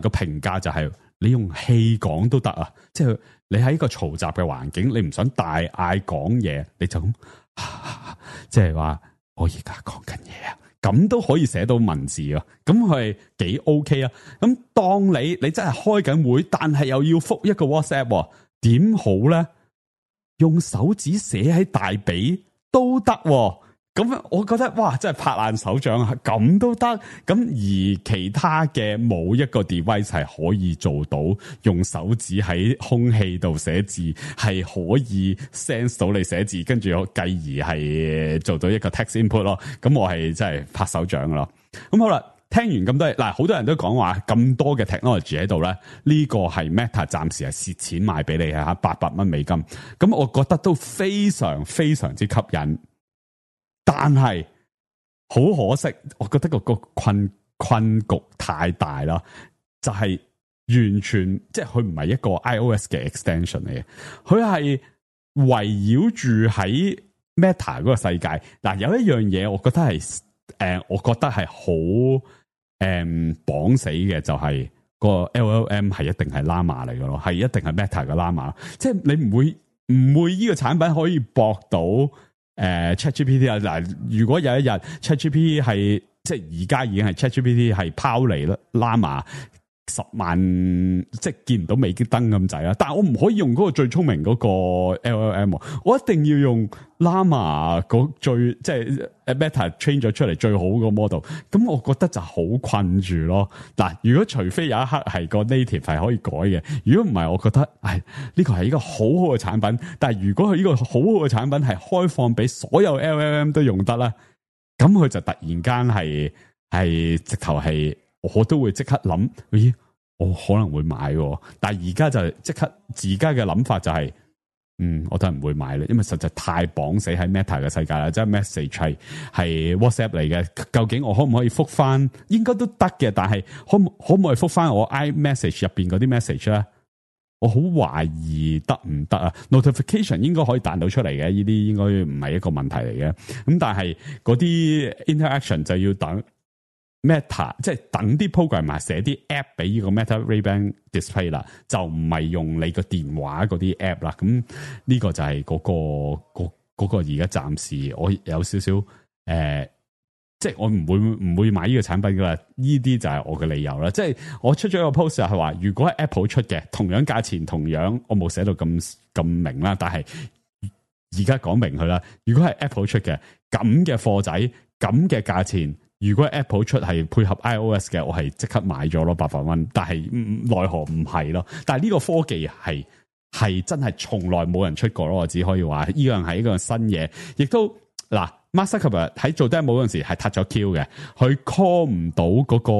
嘅評價就係你用氣講都得啊，即係你喺一個嘈雜嘅環境，你唔想大嗌講嘢，你就咁，即係話我而家講緊嘢啊，咁都可以寫到文字啊。咁係幾 OK 啊。咁當你真係開緊會，但係又要覆一個 WhatsApp，點好咧？用手指寫喺大髀都得，咁我覺得哇，真係拍爛手掌啊！咁都得，咁而其他嘅冇一個 device 係可以做到用手指喺空氣度寫字，係可以 sense 到你寫字，跟住繼而係做到一個 text input 咯。咁我係真係拍手掌咯。咁好啦，聽完咁多嗱，好多人都講話咁多嘅 technology 喺度咧，呢個係 Meta 暫時係蝕錢賣俾你嚇，$800美金。咁我覺得都非常非常之吸引。但係好可惜，我覺得個困局太大啦，就係完全即係佢唔係一個 iOS 嘅 extension 嚟嘅，佢係圍繞住喺 Meta 嗰個世界。嗱，有一樣嘢我覺得係好綁死嘅，就係個 LLM 係一定係 Llama 嚟嘅咯，係一定係 Meta 嘅 Llama， 即係你唔會呢個產品可以駁到。ChatGPT 啊，嗱，如果有一日 ChatGPT 係即係而家已經係 ChatGPT 係拋離啦，Llama 10萬即係見唔到美激燈咁滯啦，但係我唔可以用嗰個最聰明嗰個 LLM， 我一定要用 Llama 嗰最即係 Meta train 咗出嚟最好個 model， 咁我覺得就好困住咯。嗱，如果除非有一刻係個 native 係可以改嘅，如果唔係，我覺得呢個係一個好好嘅產品。但係如果佢呢個好好嘅產品係開放俾所有 LLM 都用得啦，咁佢就突然間係直頭係。我都會即刻諗，咦，我可能會買喎，但係而家就即刻自家嘅諗法就係，我都係唔會買咧，因為實在太綁死喺 Meta 嘅世界啦，即係 message 係 WhatsApp 嚟嘅，究竟我可唔可以覆翻？應該都得嘅，但係可唔可以覆翻我 iMessage 入邊嗰啲 message 咧？我好懷疑得唔得啊 ？Notification 應該可以彈到出嚟嘅，呢啲應該唔係一個問題嚟嘅。咁但係嗰啲 interaction 就要等。Meta 即係等啲 programmer 寫啲 app 俾呢個 Meta Ray-Ban display 啦，就唔係用你個電話嗰啲 app 啦。咁呢個就係嗰個而家暫時我有少少即係我唔會買呢個產品噶啦。呢啲就係我嘅理由啦。即係我出咗一個 post 係話，如果係 Apple 出嘅，同樣價錢，同樣我冇寫到咁明啦，但係而家講明佢啦。如果係 Apple 出嘅咁嘅貨仔，咁嘅價錢。如果 Apple 出係配合 iOS 嘅，我係即刻買咗咯，$800。但係奈何唔係咯。但係呢個科技係真係從來冇人出過咯。我只可以話呢樣係一個新嘢，亦都嗱 Mark Zuckerberg 喺做 demo 嗰陣時係 touch 咗 Q 嘅，佢 call 唔到嗰個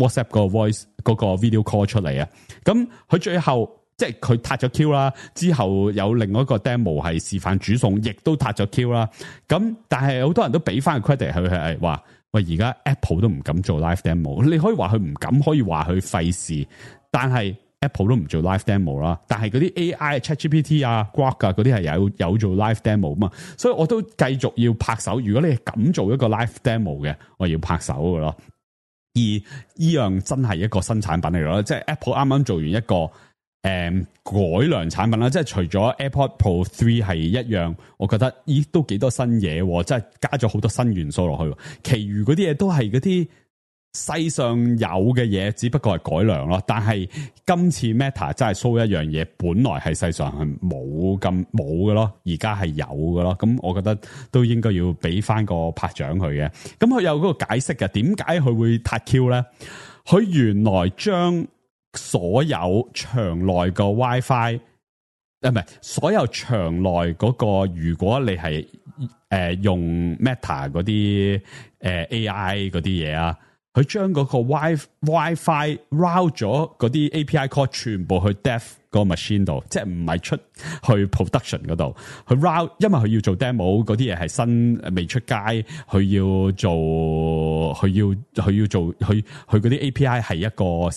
WhatsApp 個 voice 嗰個 video call 出嚟啊。咁佢最後。即係佢撻咗 Q 啦，之後有另外一個 demo 係示範煮餸，亦都撻咗 Q 啦。咁但係好多人都俾翻個 credit 佢係話，喂，而家 Apple 都唔敢做 live demo。你可以話佢唔敢，可以話佢費事，但係 Apple 都唔做 live demo 啦。但係嗰啲 AI ChatGPT 啊、Grok 啊嗰啲係有做 live demo 嘛，所以我都繼續要拍手。如果你係敢做一個 live demo 嘅，我要拍手㗎咯。而呢樣真係一個新產品嚟咯，即係 Apple 啱啱做完一個。改良產品啦，即係除咗 AirPods Pro 3係一樣，我覺得都幾多新嘢，即係加咗好多新元素落去。其餘嗰啲嘢都係嗰啲世上有嘅嘢只不過係改良咯，但係今次 Meta 真係 show 一樣嘢，本來係世上係冇嘅咯，而家係有嘅咯。咁我覺得都應該要俾翻個拍獎佢嘅。咁佢有嗰個解釋嘅，點解佢會撻 Q 咧？佢原來將所有場內個 WiFi， 唔係所有場內嗰個，如果你係用 Meta 嗰啲AI 嗰啲嘢啊。佢將嗰個 WiFi route 咗嗰啲 API call 全部去 dev 個 machine 度，即係唔係出去 production 嗰度。佢 route， 因為佢要做 demo 嗰啲嘢係新未出街，佢要做佢嗰啲 API 係一個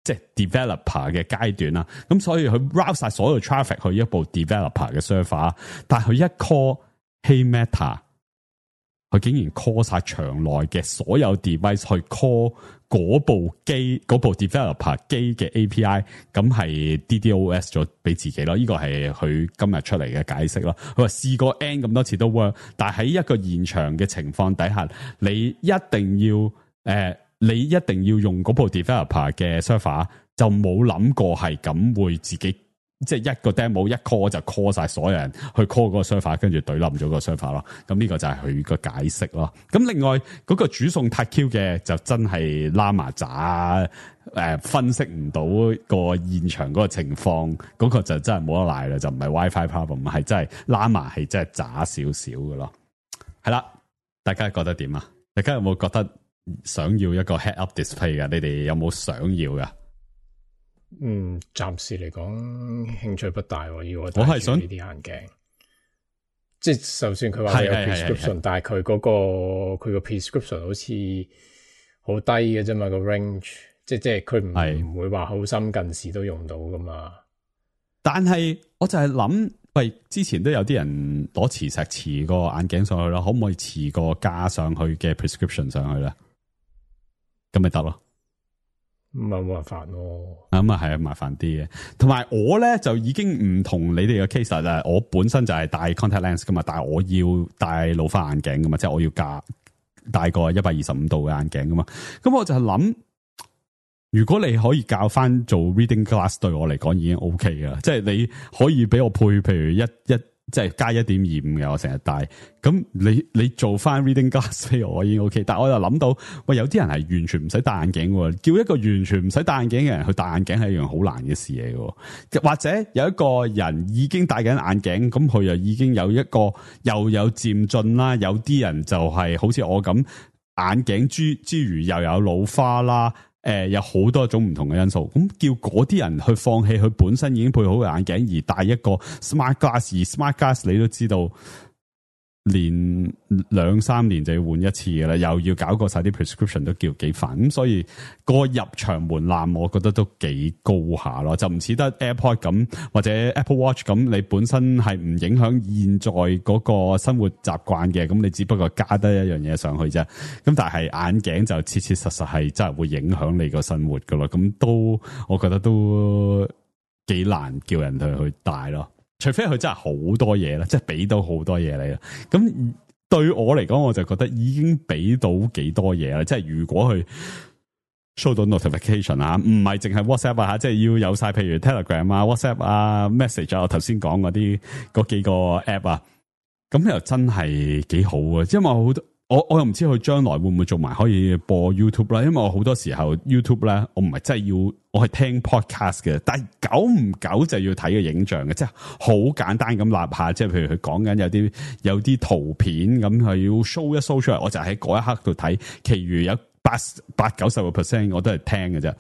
即係 developer 嘅階段啦。咁所以佢 route 晒所有 traffic 去一部 developer 嘅 server， 但係佢一 call Hey Meta。佢竟然 call 晒場內嘅所有 device 去 call 嗰部機嗰部 developer 機嘅 API， 咁係 DDoS 咗俾自己咯。呢個係佢今日出嚟嘅解釋咯。佢話試過 N 咁多次都 work， 但係喺一個現場嘅情況底下，你一定要用嗰部 developer 嘅 server， 就冇諗過係咁會自己。即係一個 demo 一 call 就 call 晒所有人去 call 嗰個 server， 跟住懟冧咗個 server 咯。咁呢個就係佢個解釋咯。咁另外嗰個煮餸撻 Q 嘅就真係拉麻渣，分析唔到個現場嗰個情況，嗰個就真係冇得賴啦，就唔係 WiFi problem， 係真係拉麻係真係渣少少嘅咯。係啦，大家覺得點啊？大家有冇覺得想要一個 head up display 㗎？你哋有冇想要㗎？暫時嚟講興趣不大。我係想呢啲眼鏡，即係就算佢話有 prescription， 但係佢嗰個 prescription 好似好低嘅啫嘛，個 range， 即係佢唔會話好深近視都用到噶嘛。但係我就係諗，喂，之前都有啲人攞磁石磁個眼鏡上去啦，可唔可以磁個加上去嘅 prescription 上去咧？咁咪得咯。唔係冇辦法咯，咁啊係啊，麻煩啲嘅。同埋我咧就已經唔同你哋嘅 case 啦。我本身就係戴 contact lens 噶嘛，但係我要戴老花眼鏡噶嘛，即係我要戴個125度嘅眼鏡噶嘛。咁我就係諗，如果你可以教翻做 reading glass， 對我嚟講已經 OK 噶啦。即係你可以俾我配，譬如即係加 1.25 嘅，我成日戴。咁你做翻 reading glass 俾我已經 OK， 但係我又諗到，喂，有啲人係完全唔使戴眼鏡喎，叫一個完全唔使戴眼鏡嘅人去戴眼鏡係一樣好難嘅事嚟嘅。或者有一個人已經戴緊眼鏡，咁佢又已經有一個又有漸進啦，有啲人就係好似我咁眼鏡之餘又有老花啦。有好多種唔同嘅因素，咁叫嗰啲人去放棄佢本身已經配好嘅眼鏡，而戴一個 smart glass， 而 smart glass 你都知道，連2-3年就要換一次嘅啦，又要搞過晒啲 prescription 都叫幾煩，咁所以個入場門檻我覺得都幾高下咯，就唔似得 AirPod 咁或者 Apple Watch 咁，你本身係唔影響現在嗰個生活習慣嘅，咁你只不過加得一樣嘢上去啫。咁但係眼鏡就切切實實係真係會影響你個生活噶咯，咁都我覺得都幾難叫人去戴咯。除非佢真係好多嘢啦，即係俾到好多嘢你啦。咁對我嚟講，我就覺得已經俾到幾多嘢啦。即係如果佢 show 到 notification 啊，唔係淨係 WhatsApp 啊，即係要有晒，譬如 Telegram 啊、WhatsApp 啊、Message 啊，我頭先講嗰幾個 app 啊，咁又真係幾好啊。因為好多我又唔知佢將來會唔會做埋可以播 YouTube 啦，因為我好多時候 YouTube 咧，我唔係真係要，我係聽 podcast 嘅，但係久唔久就要睇個影像嘅，即係好簡單咁立下，即係譬如佢講緊有啲圖片咁，係要 show 一 show 出嚟，我就喺嗰一刻度睇，其餘有80-90% 我都係聽嘅啫。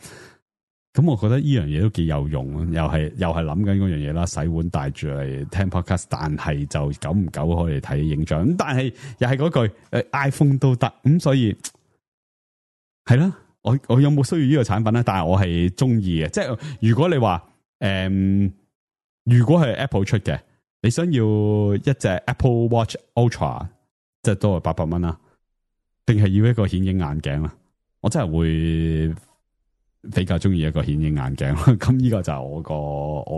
咁我覺得呢樣嘢都幾有用，又係諗緊嗰樣嘢啦，洗碗帶住嚟聽 podcast， 但係就久唔久可以睇影像，咁但係又係嗰句，iPhone 都得，咁所以係啦，我有冇需要呢個產品咧？但係我係中意嘅，即係如果你話如果係 Apple 出嘅，你想要一隻 Apple Watch Ultra， 即係都係800蚊啦，定係要一個顯影眼鏡啦？我真係會比較中意一個顯影眼鏡，咁呢個就係我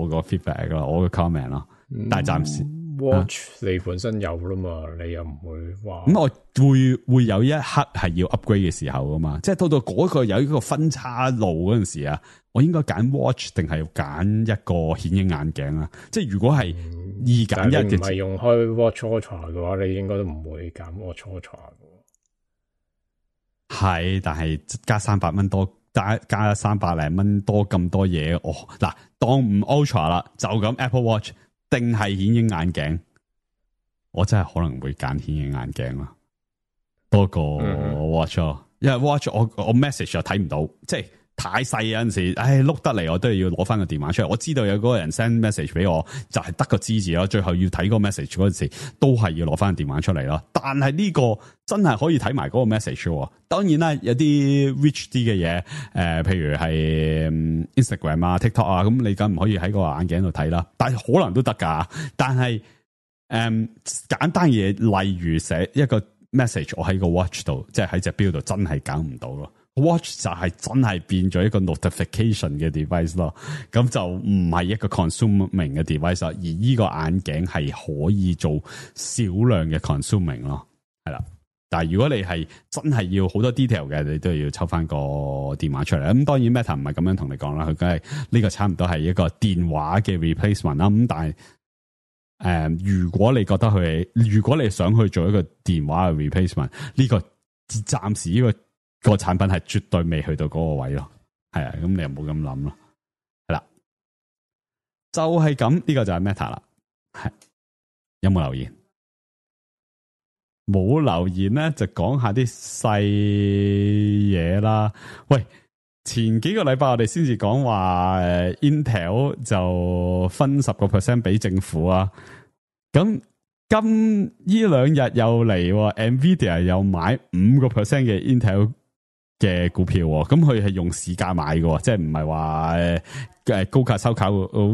個 feedback 咯，我個 comment 咯。但係暫時 Watch 你本身有啦嘛，你又唔會話咁我會有一刻係要 upgrade 嘅時候噶嘛，即係到嗰個有一個分叉路嗰陣時啊，我應該揀 Watch 定係要揀一個顯影眼鏡啊？即係如果係2揀1嘅，唔係用開 Watch Ultra 嘅話，你應該都唔會揀 Watch Ultra 嘅。係，但係加300蚊多，加300零蚊多咁多嘢，嗱當唔 Ultra 啦，就咁 Apple Watch 定係顯影眼鏡，我真係可能會揀顯影眼鏡啦，多過 Watch 咯，因為 Watch 我 message 又睇唔到，即係太細，有陣時，碌得嚟我都係要攞翻個電話出嚟。我知道有嗰個人 send message 俾我，就係得個知字咯。最後要睇個 message 嗰陣時，都係要攞翻個電話出嚟咯。但係呢個真係可以睇埋嗰個 message 喎。當然啦，有啲 rich 啲嘅嘢，譬如係 Instagram 啊、TikTok 啊，咁你梗唔可以喺個眼鏡度睇啦。但係可能都得㗎。但係簡單嘢，例如寫一個 message，我喺個 watch 度，即係喺隻錶度，真係搞唔到咯。Watch 就係真係變咗一個 notification 嘅 device 咯，咁就唔係一個 consuming 嘅 device，而呢個眼鏡係可以做少量嘅 consuming 咯，係啦。但係如果你係真係要好多 detail 嘅，你都要抽翻個電話出嚟。咁當然 Meta 唔係咁樣同你講啦，佢梗係呢個差唔多係一個電話嘅 replacement 啦。咁但係如果你覺得如果你想去做一個電話嘅 replacement，呢個暫時呢個產品係絕對未去到嗰個位咯，係啊，咁你又冇咁諗咯，係啦，就係咁，呢個就係 Meta 啦，係有冇留言？冇留言咧，就講下啲細嘢啦。喂，前幾個禮拜我哋先至講話Intel 就分10% 俾政府啊，咁。今呢2日又嚟 ，Nvidia 又買5% 嘅 Intel 嘅股票，咁佢係用市價買嘅，即係唔係話高價收購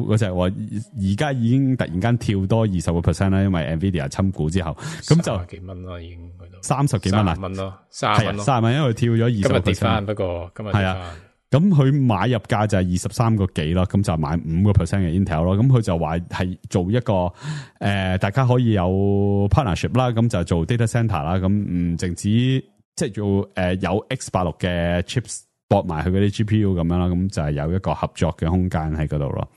嗰隻，而家已經突然間跳多20% 啦，因為 Nvidia 侵股之後，咁就幾蚊啦，已經去到30幾蚊啦，30蚊咯，30蚊，因為跳咗20%，今日跌翻，不過今日跌翻。咁佢買入價就係23個幾咯，咁就買5% 嘅 Intel 咯。咁佢就話係做一個大家可以有 partnership 啦，咁就做 data center 啦。咁唔淨止即係做有 X86 嘅 chips 駁埋佢嗰啲 GPU 咁樣啦，咁就係有一個合作嘅空間喺嗰度咯。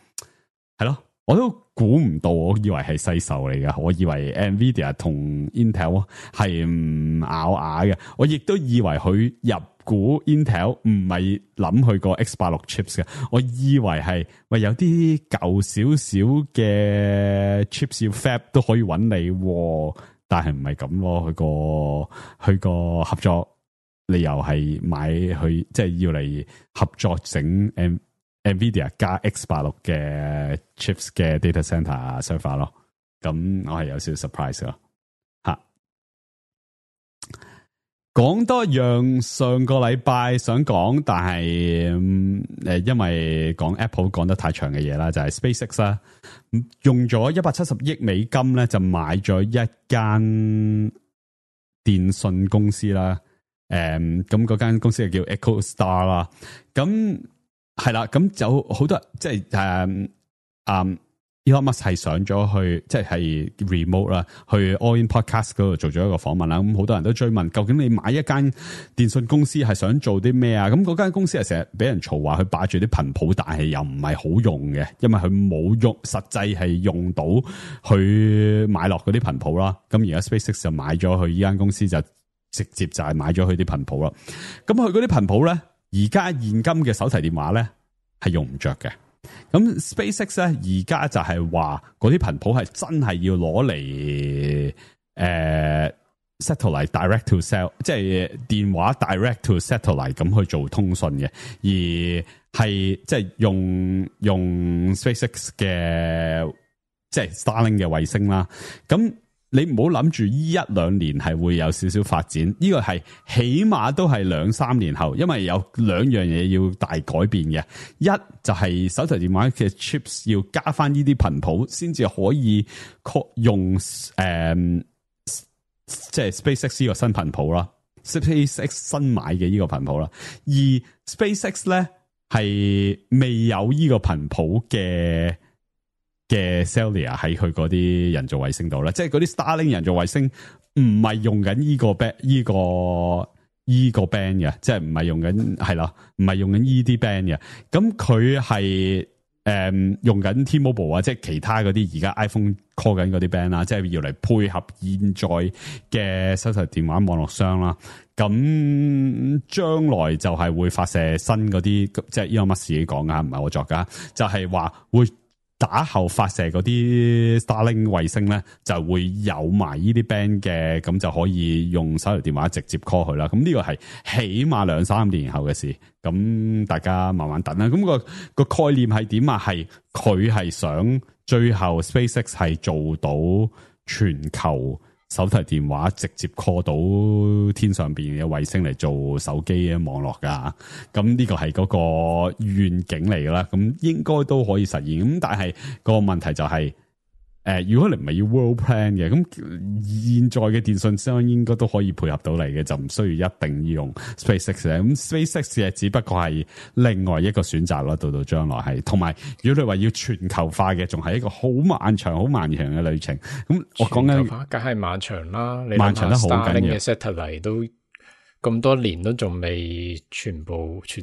係咯，我都估唔到，我以為係世仇嚟嘅，我以為 Nvidia 同 Intel 係唔咬牙嘅，我亦都以為佢入股 Intel 唔係諗佢個 X86 chips 嘅，我以為係喂有啲舊少少嘅 chips 要 fab 都可以揾你，但係唔係咁咯，佢個合作理由係買佢即係要嚟合作整Nvidia 加 X86 嘅 chips 嘅 data center server 咯，咁我係有少少 surprise 咯。講多樣上個禮拜想講，但係因為講 Apple 講得太長嘅嘢啦，就係 SpaceX 啦，用咗170億美金咧就買咗一間電信公司啦，咁嗰間公司就叫 EchoStar 啦，咁係啦，咁有好多即係Elon Musk 係上咗去，即係 remote 啦，去 All In Podcast 嗰度做咗一個訪問啦。咁好多人都追問，究竟你買一間電信公司係想做啲咩啊？咁嗰間公司係成日俾人嘈話佢霸住啲頻譜，但係又唔係好用嘅，因為佢冇用，實際係用到佢買落嗰啲頻譜啦。咁而家 SpaceX 就買咗佢呢間公司，就直接就係買咗佢啲頻譜啦。咁佢嗰啲頻譜咧，而家現今嘅手提電話咧係用唔着嘅。咁 SpaceX 咧而家就係話嗰啲頻譜係真係要攞嚟satellite direct to cell， 即係電話 direct to satellite 咁去做通訊嘅，而係即係用 SpaceX 嘅即係 Starlink 嘅衛星啦。咁你唔好諗住呢1-2年係會有少少發展，呢個係起碼都係2-3年後，因為有2樣嘢要大改變嘅。一就係手提電話嘅 chips 要加翻呢啲頻譜，先至可以用即係 SpaceX 呢個新頻譜啦 ，SpaceX 新買嘅呢個頻譜啦。而 SpaceX 咧係未有呢個頻譜嘅嘅 Cellular 喺佢嗰啲人造衛星度咧，即係嗰啲 Starlink 人造衛星唔係用緊依個 band 嘅，即係唔係用緊係啦，唔係用緊依啲 band 嘅，咁佢係用緊 T-Mobile 啊，即係其他嗰啲而家 iPhone call 緊嗰啲 band 啦，即係要嚟配合現在嘅手提電話網絡商啦。咁將來就係會發射新嗰啲，即係 Elon Musk 自己講噶，唔係我作噶，就係話會打後發射嗰啲 Starlink 衛星咧，就會有埋呢啲 band 嘅，咁就可以用手提電話直接 call 佢啦。咁呢個係起碼2-3年後嘅事，咁大家慢慢等啦。咁個概念係點啊？係佢係想最後 SpaceX 係做到全球手提電話直接 call 到天上邊嘅衛星嚟做手機嘅網絡噶，咁呢個係嗰個願景嚟噶啦，咁應該都可以實現。咁但係個問題就係，如果你唔係要 world plan 嘅，咁現在嘅電信商應該都可以配合到你嘅，就唔需要一定要用 SpaceX 嘅。咁 SpaceX 嘅只不過係另外一個選擇咯，到將來係。同埋，如果你話要全球化嘅，仲係一個好漫長嘅旅程。咁我講緊，梗係漫長啦，你漫長得好緊要。嘅 satellite 都咁多年都仲未全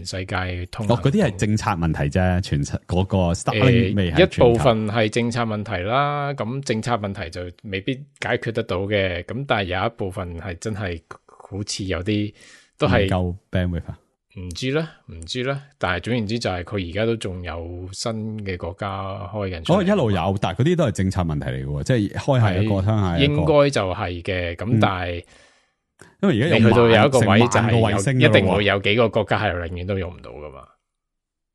世界通。嗰啲係政策問題啫，嗰個 Starlink 未係一部分係政策問題啦。咁政策問題就未必解決得到嘅。咁但係有一部分係真係好似有啲都係夠 bandwidth。唔知啦。但係總言之就係佢而家都仲有新嘅國家開緊。一路有，但係嗰啲都係政策問題嚟嘅，即係開下一個，鄉下一個。應該就係嘅。咁但係。因為而家你去到有一個位就係一定會有幾個國家係永遠都用唔到噶嘛，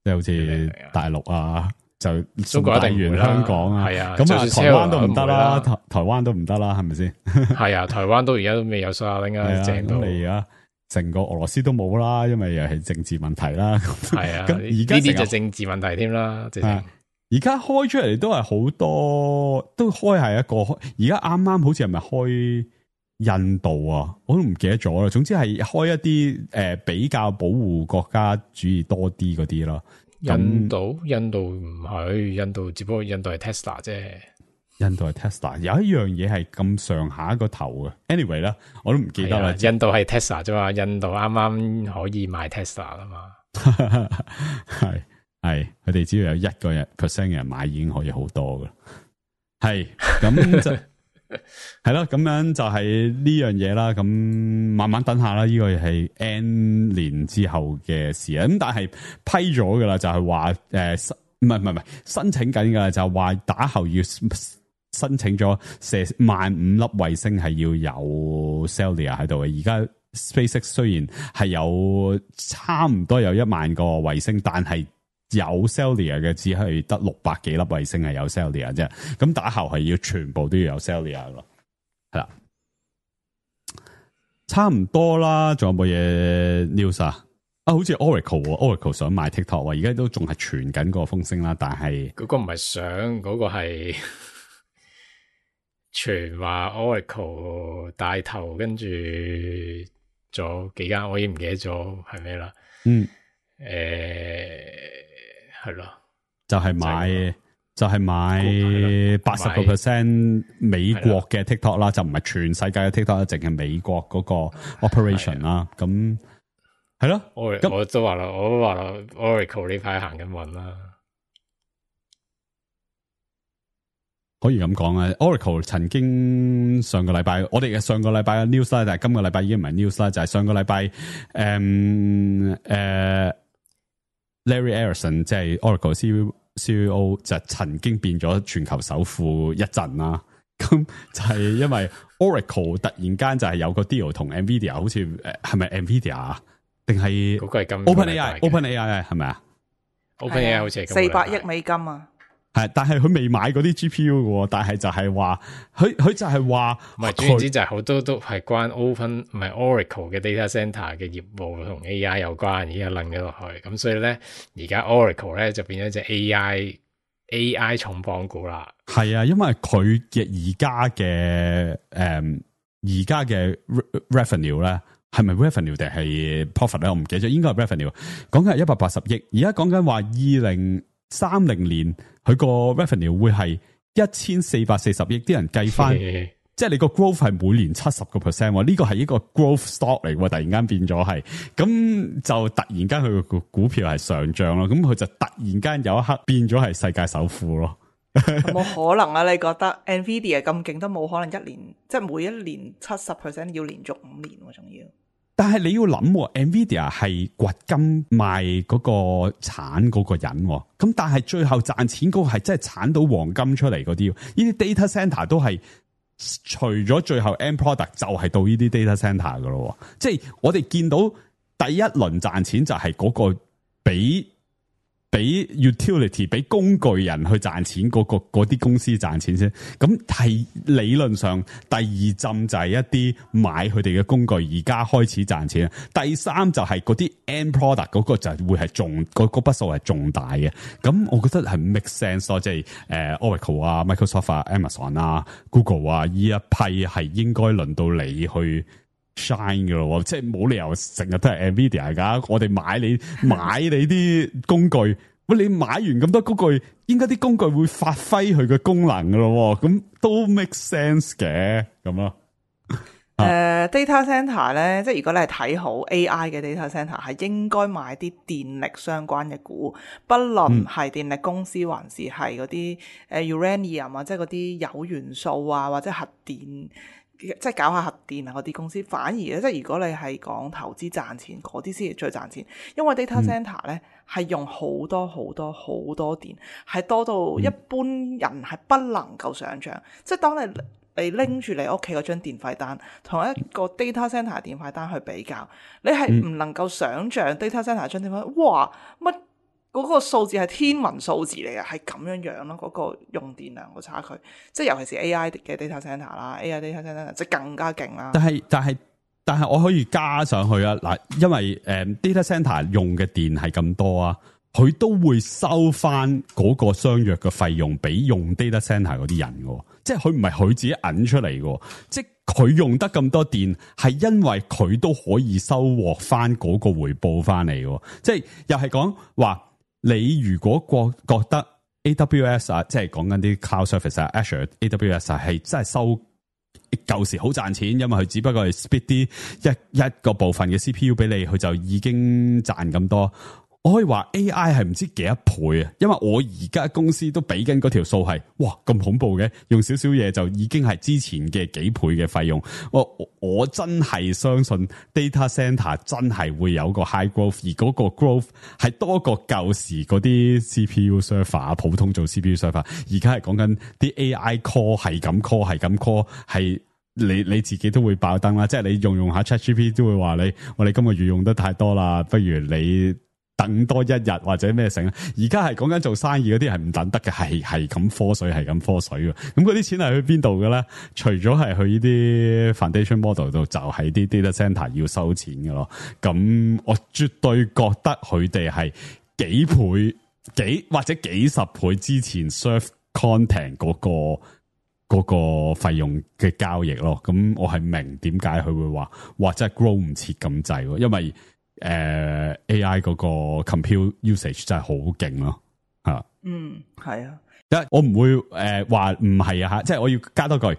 即係好似大陸啊，就中國一定會啦，香港啊，係啊，咁啊台灣都唔得啦，台灣都唔得啦，係咪先？係啊，台灣都而家都未有Starlink啊，正到你而家成個俄羅斯都冇啦，因為又係政治問題啦。係啊，咁而家呢啲就政治問題添啦，而家開出嚟都係好多，都開係一個，而家啱啱好似係咪開？印度啊，我都唔記得咗啦。總之係開一啲比較保護國家主義多啲嗰啲咯。印度唔係，印度只不過印度係 Tesla 啫。印度係 Tesla， 有一樣嘢係咁上下一個頭嘅。anyway 啦，我都唔記得啦。印度係 Tesla 啫嘛，印度啱啱可以買 Tesla 啦嘛。係，佢哋只要有1% 嘅人買已經可以好多噶。係咁就。係咯，咁樣就係呢樣嘢啦。咁慢慢等下啦，呢個係 N 年之後嘅事啊。咁但係批咗噶啦，就係話唔係申請緊噶啦，就係話打後要申請咗射15000粒衛星係要有 Cellular 喺度嘅。而家 SpaceX 雖然係有差唔多有10000個衛星，但係有 Cellular 嘅只係得600幾粒衛星係有 Cellular 啫，咁打後係要全部都要有 Cellular 咯，係啦，差唔多啦。仲有冇嘢 news 啊？好似 Oracle 想買 TikTok， 而家都仲係傳緊個風聲啦，但係嗰個唔係想，嗰個係傳話 Oracle 帶頭，跟住咗幾間，我已經唔記得咗係咩啦。係咯，就係買 80% 美國嘅 TikTok 啦，就唔係全世界嘅 TikTok，淨係美國嗰個 operation 啦。咁係咯，我都話啦，Oracle 呢排行緊運啦，可以咁講啊。Oracle 曾經上個禮拜，我哋嘅上個禮拜嘅 news 啦，但係今個禮拜已經唔係 news 啦，就係上個禮拜Larry Ellison 即係 Oracle CEO 就曾經變咗全球首富一陣啦，咁就係因為 Oracle 突然間就係有個 deal 同 Nvidia， 好似係咪 Nvidia 啊？定係嗰個係咁 OpenAI 係咪啊 ？OpenAI 好似係400億美金啊！係，但係佢未買嗰啲 GPU 嘅，但係就係話佢就係話，唔係，總言之就係好多都係關 Oracle 嘅 data center 嘅業務同 AI 有關，而家楞咗落去，咁所以咧，而家 Oracle 咧就變咗隻 AI 重磅股啦。係啊，因為佢嘅而家嘅 revenue 咧，係咪 revenue 定係 profit 咧？我唔記得咗，應該係 revenue。講緊係180億，而家講緊話2030年佢個 revenue 會係1440億，啲人計翻，即係你個 growth 係每年70%，呢個係一個 growth stock 嚟喎，突然間變咗係，咁就突然間佢個股票係上漲咯，咁佢就突然間有一刻變咗係世界首富咯。冇可能啊！你覺得 Nvidia 咁勁都冇可能一年，即係每一年70%要連續5年喎，仲要。但係你要諗 ，Nvidia 係掘金賣嗰個產嗰個人，咁但係最後賺錢嗰個係真係產到黃金出嚟嗰啲，呢啲 data center 都係除咗最後 end product 就係到呢啲 data center 噶咯，即係我哋見到第一輪賺錢就係嗰個俾 utility 俾工具人去賺錢嗰啲公司賺錢先，咁係理論上第二浸就係一啲買佢哋嘅工具而家開始賺錢，第三就係嗰啲 end product 嗰個就會係嗰筆數係重大嘅，咁我覺得係 make sense 咯，即係Oracle 啊、Microsoft 啊、Amazon 啊、Google 啊呢一批係應該輪到你去 shine 嘅咯，即係冇理由成日都係 Nvidia 噶，我哋買你啲工具，喂，你買完咁多工具，應該啲工具會發揮佢嘅功能嘅咯，咁都 make sense 嘅咁咯。data center 咧，即係如果你係睇好 AI 嘅 data center，係應該買啲電力相關嘅股，不論係電力公司還是係嗰啲uranium 啊，即係嗰啲鈾元素啊，或者核電。即係搞下核電啊嗰啲公司，反而咧，即係如果你係講投資賺錢嗰啲先係最賺錢，因為 data center 咧係用好多電，係多到一般人係不能夠想像。即係當你拎住你屋企嗰張電費單，同一個 data center 電費單去比較，你係唔能夠想像 data center 張電費，哇乜？嗰個數字係天文數字嚟嘅，係咁樣咯。嗰個用電量個差距，即係尤其是 AI 嘅 data center 啦，AI data center 即係更加勁啦。但係我可以加上去啊嗱，因為data center 用嘅電係咁多啊，佢都會收翻嗰個相約嘅費用俾用 data center 嗰啲人嘅，即係佢唔係佢自己揞出嚟嘅，即係佢用得咁多電，係因為佢都可以收穫翻嗰個回報翻嚟嘅，即係又係講話。你如果覺得 AWS 啊，即係講緊啲 cloud service 啊 ，Azure AWS 係真係收舊時好賺錢，因為佢只不過係 split 啲一個部分嘅 CPU 俾你，佢就已經賺咁多。我可以話 AI 係唔知幾多倍啊，因為我而家公司都俾緊嗰條數係，哇咁恐怖嘅，用少少嘢就已經係之前嘅幾倍嘅費用。我真係相信 data center 真係會有個 high growth，而嗰個 growth 係多過舊時嗰啲 CPU server 普通做 CPU server， 而家係講緊啲 AI call 係咁 call 係你自己都會爆燈啦，即係你用下 ChatGPT 都會話我哋今個月用得太多啦，不如你等多一日或者咩成，而家係講緊做生意嗰啲係唔等得嘅，係咁科水嘅，咁嗰啲錢係去邊度嘅咧？除咗係去呢啲 foundation model 度，就係啲 data center 要收錢嘅咯。咁我絕對覺得佢哋係幾倍或者幾十倍之前 serve content 嗰個費用嘅交易咯。咁我係明點解佢會話或者係 grow 唔切咁滯，因為AI 嗰個 compute usage 真係好勁咯，吓，係啊，我唔會話唔係啊吓，即係我要加多句，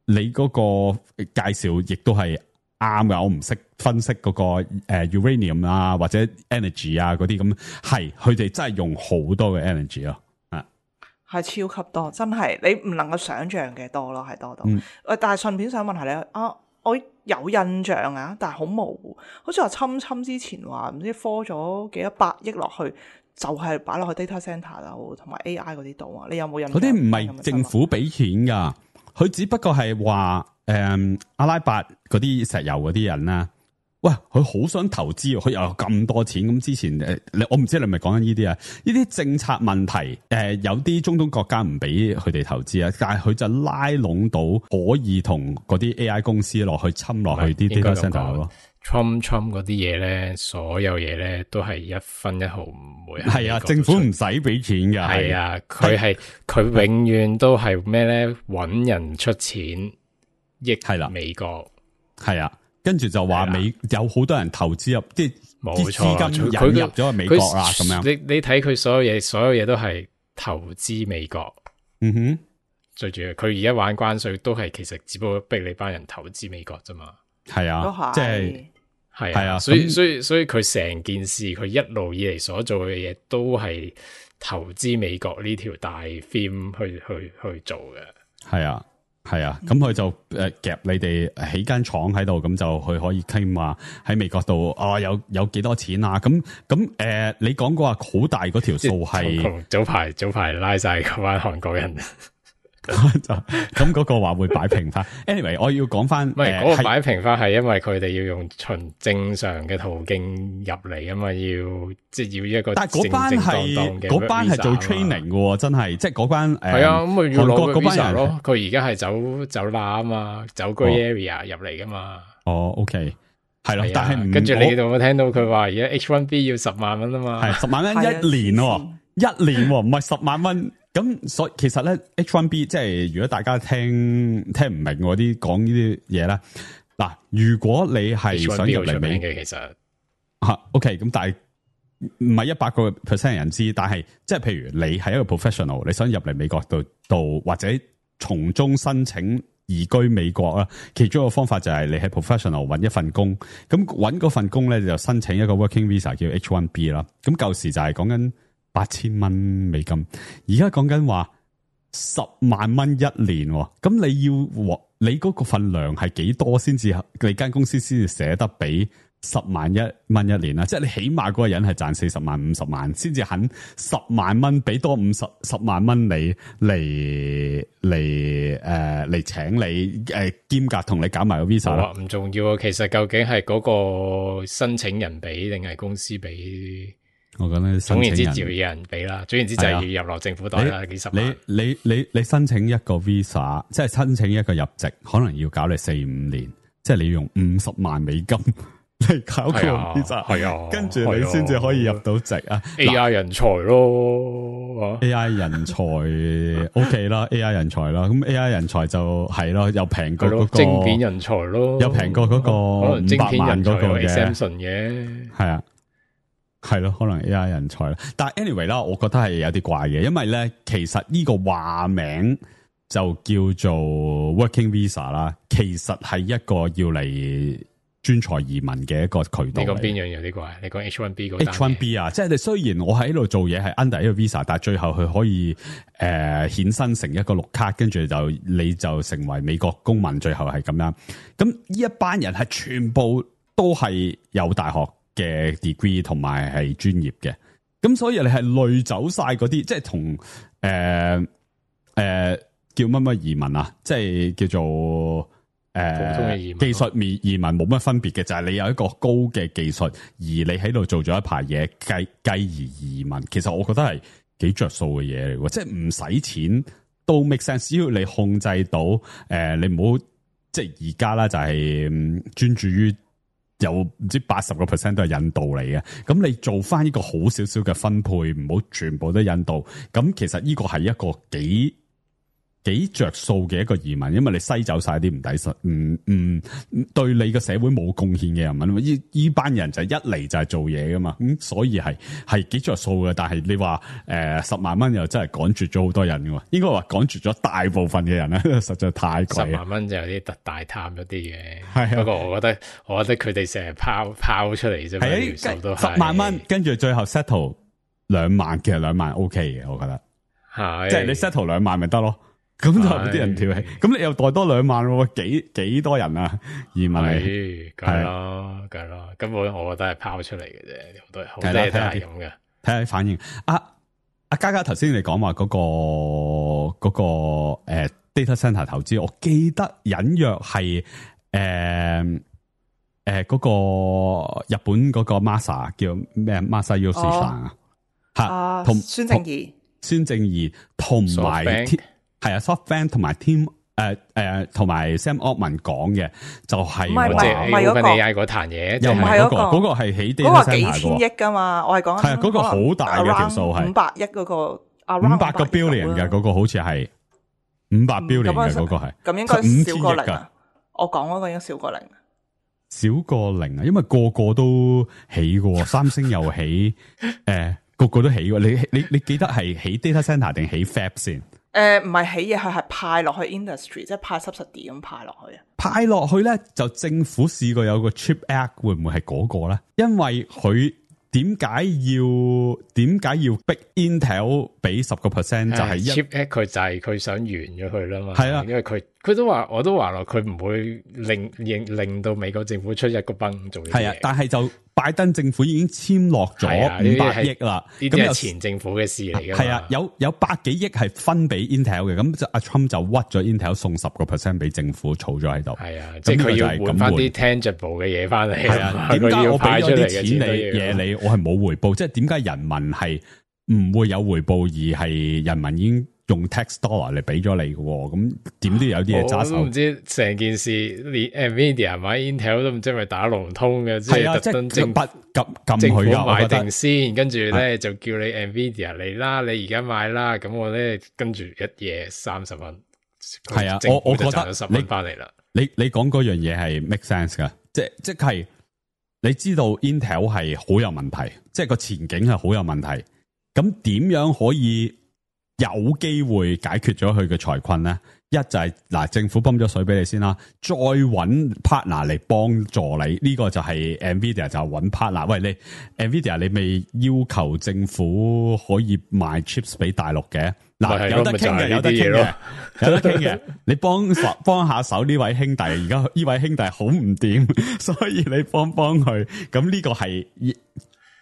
你嗰個介紹亦都係啱噶，我唔識分析嗰個uranium 啊或者 energy 啊嗰啲咁，係佢哋真係用好多嘅 energy 咯，係超級多，真係你唔能夠想象嘅多咯，係多到，但係順便想問下你啊。我有印象啊，但係好模糊，好似話侵之前話唔知科咗幾多百億落去，就係擺落去 data center 度同埋 AI 嗰啲度啊。你有冇印象？嗰啲唔係政府俾錢噶，佢只不過係話阿拉伯嗰啲石油嗰啲人啦。喂，佢好想投資，佢又有咁多錢。咁之前我唔知你係咪講緊呢啲啊？呢啲政策問題，有啲中東國家唔俾佢哋投資啊，但係佢就拉攏到可以同嗰啲 AI 公司落去侵落去啲 data center 咯。Trump 嗰啲嘢咧，所有嘢咧都係一分一毫唔會係啊，政府唔使俾錢㗎。係啊，佢永遠都係咩咧？搵人出錢益係啦美國。係啊。跟住就話有好多人投資入，即係啲資金引入咗去美國啦，咁樣。你睇佢所有嘢都係投資美國。嗯哼，最主要佢而家玩關稅都係其實只不過逼你班人投資美國啫嘛。係啊，即係啊，所以佢成件事佢一路以嚟所做嘅嘢都係投資美國呢條大 theme 去做嘅。係啊。係啊，咁佢就夾你哋起間廠喺度，咁就佢可以 claim 話喺美國度有幾多錢啊？咁你講過話好大嗰條數係早排拉晒嗰班韓國人。咁嗰個話會擺平翻。anyway， 我要講翻，唔係嗰個擺平翻係因為佢哋要用循正常嘅途徑入嚟啊嘛，要一個但係嗰班係做 training 嘅，真係即係嗰班係啊，咁咪要攞個 visa 咯。佢而家係走罅啊嘛，走 grey area 入嚟噶嘛。哦 ，OK， 係咯，但係跟住你有冇聽到佢話而家 H1B 要10萬蚊啊嘛？係10萬蚊一年喎，1年唔係10萬蚊。咁所以其實咧 H1B 即係如果大家聽唔明嗰啲講呢啲嘢咧，嗱，如果你係想入嚟美嘅，其實OK， 咁但係唔係100% 人知，但係即係譬如你係一個 professional， 你想入嚟美國度或者從中申請移居美國啦，其中一個方法就係你喺 professional 揾一份工，咁揾嗰份工咧就申請一個 working visa 叫 H1B 啦，咁舊時就係講緊8000蚊美金，而家講緊話10萬蚊一年，咁你嗰個份量係幾多先至你間公司先至捨得俾10萬蚊一年啊？即係你起碼嗰個人係賺40萬50萬先至肯10萬蚊俾多10萬蚊你嚟請你兼夾同你搞埋個 visa 啦。唔重要啊，其實究竟係嗰個申請人俾定係公司俾？我覺得總言之就要有人俾啦，總言之就係要入落政府袋啦，幾十萬。你申請一個 visa， 即係申請一個入籍，可能要搞你4-5年，即係你要用50萬美金嚟搞個 visa， 係啊，跟住你先至可以入到籍啊。AI 人才咯，AI 人才 OK 啦，AI 人才啦，咁 AI 人才就係咯，又平過嗰個晶片人才咯，又平過嗰個500萬嗰個嘅 exemption 嘅，係啊。係咯，可能 AI 人才啦，但係 anyway 啦，我覺得係有啲怪嘅，因為咧，其實呢個話名就叫做 working visa 啦，其實係一個要嚟專才移民嘅一個渠道。你講邊樣有啲怪？你講 H1B 嗰單 H1B 啊，即係你雖然我喺度做嘢係 under 一個 visa， 但係最後佢可以衍生成一個綠卡，跟住你就成為美國公民，最後係咁樣。咁呢一班人係全部都係有大學嘅 degree 同埋係專業嘅，咁所以你係累走晒嗰啲，即係同叫乜移民啊，即係叫做普通嘅移民技術移民冇乜分別嘅，就係你有一個高嘅技術，而你喺度做咗一排嘢，繼而移民，其實我覺得係幾着數嘅嘢嚟喎，即係唔使錢都 make sense， 只要你控制到你唔好即係而家啦，就係專注於。有唔知80% 都係印度嚟嘅，咁你做翻呢個好少少嘅分配，唔好全部都印度，咁其實呢個係一個幾着數嘅一個移民，因為你篩走晒啲唔抵實，對你個社會冇貢獻嘅人民，呢班人就一嚟就係做嘢噶嘛，咁所以係幾着數嘅。但係你話10萬蚊又真係趕絕咗好多人嘅，應該話趕絕咗大部分嘅人咧，實在太貴。10萬蚊就有啲特大貪咗啲嘅，係不過我覺得佢哋成日拋出嚟啫，條數都係10萬蚊，跟住最後 settle 2萬，其實2萬 OK 嘅，我覺得係，即係你 settle 2萬咪得咯。咁就啲人跳起，咁你又袋多2萬喎，幾多人啊？移民嚟，係咯，根本我覺得係拋出嚟嘅啫，好多嘢都係咁嘅。睇下反應。阿嘉頭先你講話嗰個data center 投資，我記得隱約係嗰個日本嗰個 Masa 叫咩 Masa Yoshida 啊，吓同孫正義同埋。係啊 ，SoftBank 同埋 Team 同埋 Sam Altman 講嘅就係唔係 OpenAI 嗰壇嘢，又唔係嗰個係起 data center 幾千億噶嘛，我係講係嗰個好大嘅條數係500億嗰個500個 billion 嘅嗰個好似係500 billion 嘅嗰個係，咁應該少過零啊！我講嗰個應該少過零。少過零啊，因為個個都起嘅，三星又起，個個都起嘅。你記得係起 data center 定起 fab 先？唔係起嘢，佢係派落去 industry，即係派 subsidy 咁派落去啊。派落去咧，就政府試過有個 Chip Act， 會唔會係嗰個咧？因為佢點解要逼 Intel 俾10%？就係 Chip Act， 佢就係佢想完咗佢啦嘛。係啊，因為佢都話，我都話咯，佢唔會令到美國政府出一個崩做嘢。係啊，但係就拜登政府已經簽落咗500億啦，呢啲係前政府嘅事嚟嘅。係啊，有百幾億係分俾 Intel 嘅，咁就阿 Trump 就屈咗 Intel 送10% 俾政府儲咗喺度。係啊，即係佢要換翻啲 tangible 嘅嘢翻嚟。係啊，點解我俾咗啲錢你我係冇回報？即係點解人民係唔會有回報，而係人民已經用 tax dollar 嚟俾咗你嘅？咁點都有啲嘢揸手。我都唔知成件事，連 Nvidia 買 Intel 都唔知係咪打龍通嘅，即係特登政府買定先，跟住咧就叫你 Nvidia 嚟啦，你而家買啦，咁我咧跟住一夜30蚊。係啊，我覺得10蚊翻嚟啦。你講嗰樣嘢係 make sense 噶，即係你知道 Intel 係好有問題，即係個前景係好有問題。咁點樣可以有機會解決咗佢嘅財困咧？一就係政府泵咗水俾你先啦，再揾 partner 嚟幫助你。呢個就係 Nvidia 就揾 partner。喂，你 Nvidia 你未要求政府可以賣 chips 俾大陸嘅？有得傾嘅，有得傾嘅，有得傾嘅。你幫下手呢位兄弟，而家呢位兄弟好唔掂，所以你幫佢。咁呢個係。